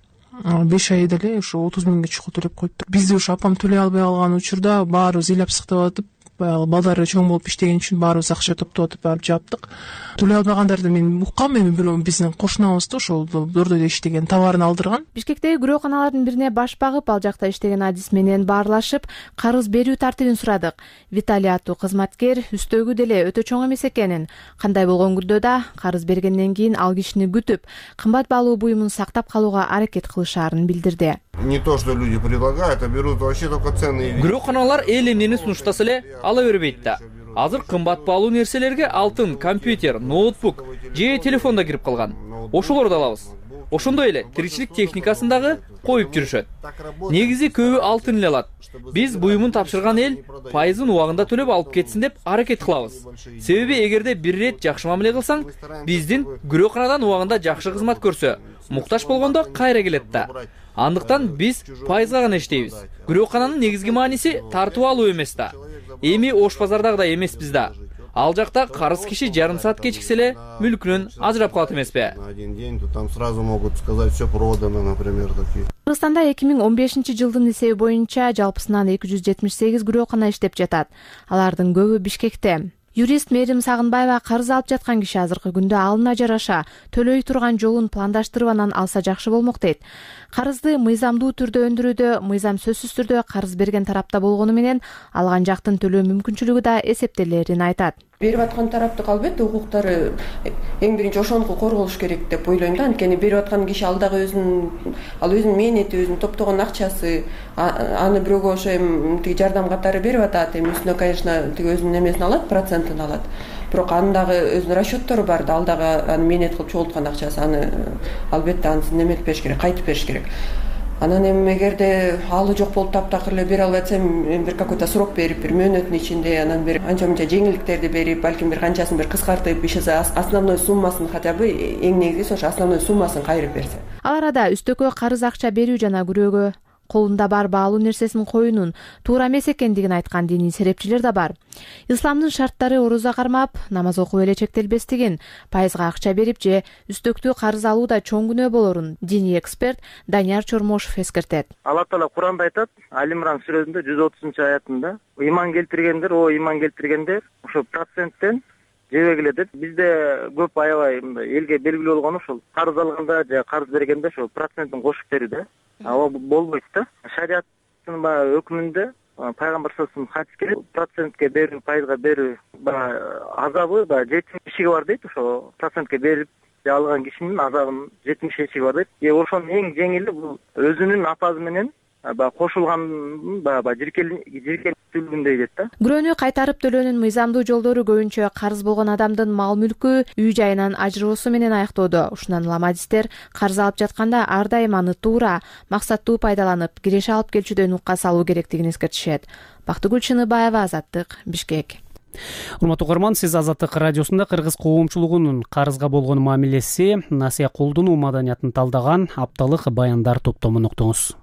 5 айда эле ошо 30.000 чукул төлөп коюптур. Бизди ошо апам төлөй албай калган учурда баарыбыз ыйлап сыктап атып, баягы балдары чоң болуп иштеген үчүн баарыбыз акча топтоп атып барып жаптык. Төлөй албагандарды мен уккам, эми бирөө биздин кошунабызды ошол Дордойдо иштеген товарын алдырган. Бишкектеги күрөканалардын бирине баш багып, ал жакта иштеген адис менен баарлашып, карыз берүү тартибин сурадык. Виталий аттуу кызматкер үстөгү деле өтө чоң эмес экенин, кандай болгон күндө карыз бергенден кийин ал кишини күтүп, кымбат баалуу буюмун сактап калууга аракет кылышаарын билдирди. Не то, что люди предлагают, а берут вообще только ценные. Күрөканалар эл эмнени сунуштаса эле ала бербейт да. Азыр кымбат баалуу нерселерге алтын, компьютер, ноутбук же телефон да кирип калган. Ошолорду алабыз. Ошондой эле тиричилик техникасын дагы коюп жүрүшөт. Негизи көбү алтын эле алат. Биз буюмун тапшырган эл пайызын убагында төлөп алып кетсин деп аракет кылабыз. Себеби эгерде бир ирет жакшы мамиле кылсаң, биздин күрөканадан убагында жакшы кызмат көрсө, муктаж болгондо кайра келет да. Андыктан биз пайызга гана иштейбиз. Күрөкананын негизги мааниси тартып алуу эмес да. Эми Ош базардагыдай эмеспиз да. Ал жакта карыз киши жарым саат кечиксе эле мүлкүнөн ажырап калат эмеспи? Один день, то там сразу могут сказать, все продано, например, такие. Кыргызстанда 2015-жылдын эсеби боюнча жалпысынан 278 күрөкана иштеп жатат. Алардын көбү Бишкекте. Юрист Мээрим Сагынбаева карыз алып жаткан киши азыркы күндө алына жараша төлөй турган жолун пландаштырып анан алса жакшы болмок дейт. Карызды мыйзамдуу түрдө өндүрүүдө мыйзам сөзсүз түрдө карыз берген тарапта болгону менен алган жактын төлөө мүмкүнчүлүгү да эсептелерин айтат. Берип аткан тараптын албетте укуктары эң биринчи ошондуку корголуш керек деп ойлойм да. Анткени берип аткан киши ал дагы өзүнүн мээнети, өзүнүн топтогон акчасы, аны бирөөгө ошо эми тиги жардам катары берип атат. Эми үстүнө, конечно, тиги өзүнүн эмесин алат, процентин алат. Бирок анын дагы өзүнүн расчеттору бар да, ал дагы аны мээнет кылып чогулткан акчасы, аны албетте анысын неметип бериш керек, кайтып бериш керек. Анан эми эгерде алы жок болуп таптакыр эле бере албай атса, бир какой-то срок берип, бир мөөнөттүн ичинде анан бир анча-мынча жеңилдиктерди берип, балким бир канчасын бир кыскартып, иши основной суммасын, хотя бы эң негизгиси ошо основной суммасын кайрып берсе. Ал арада үстөккө карыз акча берүү жана күрөөгө колунда бар баалуу нерсесин коюунун туура эмес экендигин айткан диний серепчилер да бар. Исламдын шарттары ороза кармап, намаз окуп эле чектелбестигин, пайызга акча берип же үстөктүү карыз алууда чоң күнөө болорун диний эксперт Данияр Чормошов эскертет. Алла Таала Куранда айтат, Али-Имран сүрөсүндө 130-аятында, ыйман келтиргендер, ыйман келтиргендер, ошо проценттен жебегиле деп. Бизде көп аябай элге белгилүү болгону ошол карыз алганда же карыз бергенде ошо процентин кошуп берүү да. Ал болбойт да. Шариаттын баягы өкүмүндө пайгамбар саллаллаху алейхи хадис келет, процентке берүү, пайызга берүү азабы 70 эшиги бар дейт. Ошо процентке берип алган кишинин азабынын 70 эшиги бар дейт. Ошонун эң жеңили бул өзүнүн апазы менен кошулган жиркелүүлүгүндөй дейт да. Күрөөнү кайтарып төлөөнүн мыйзамдуу жолдору көбүнчө карыз болгон адамдын мал мүлкү, үй жайынан ажыроосу менен аяктоодо. Ушундан улам адистер карыз алып жатканда ар дайым аны туура, максаттуу пайдаланып, киреше алып келчүдөн укка салуу керектигин эскертишет. Бактыгүл Чыныбаева, Азаттык, Бишкек. Урматтуу угарман, сиз Азаттык радиосунда кыргыз коомчулугунун карызга болгон мамилеси, насыя колдонуу маданиятын талдаган апталык баяндар топтомун уктуңуз.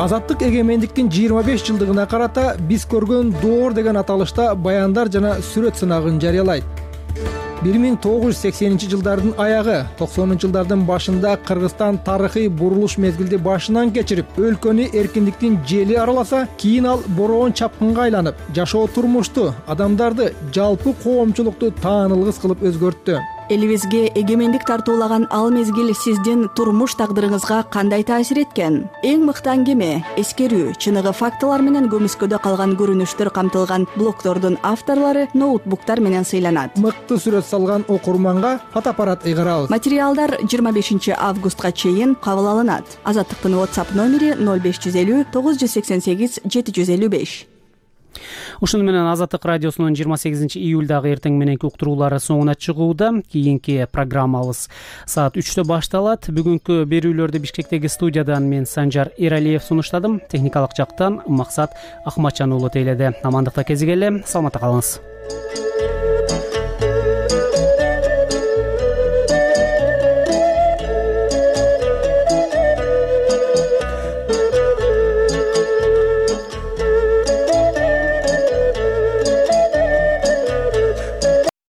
Азаттык эгемендиктин 25 жылдыгына карата биз көргөн доор деген аталышта баяндар жана сүрөт сынагын жарыялайт. 1980-жылдардын аягы, 90-жылдардын башында Кыргызстан тарыхый бурулуш мезгилди башынан кечирип, өлкөнү эркиндиктин жели араласа, кийин ал бороон чапкынга айланып, жашоо турмушту, адамдарды, жалпы коомчулукту таанылгыс кылып өзгөрттү. Элибизге эгемендик тартуулаган ал мезгил сиздин турмуш тагдырыңызга кандай таасир эткен? Эң мыкты аңгеме, эскерүү, чыныгы фактылар менен көмүскөдө калган көрүнүштөр камтылган блогдордун авторлору ноутбуктар менен сыйланат. Мыкты сүрөт салган окурманга фотоаппарат ыйгарабыз. Материалдар 25 августка чейин кабыл алынат. Азаттыктын WhatsApp номери 0550 988 755. Ушуну менен Азаттык радиосунун 28 июлдагы эртең мененки уктуруулары соңуна чыгууда. Кийинки программабыз саат 3-тө башталат. Бүгүнкү берүүлөрдү Бишкектеги студиядан мен Санжар Эралиев сунуштадым. Техникалык жактан Максат Ахматжан уулу тейледи. Амандыкта кезигели, саламатта калыңыз.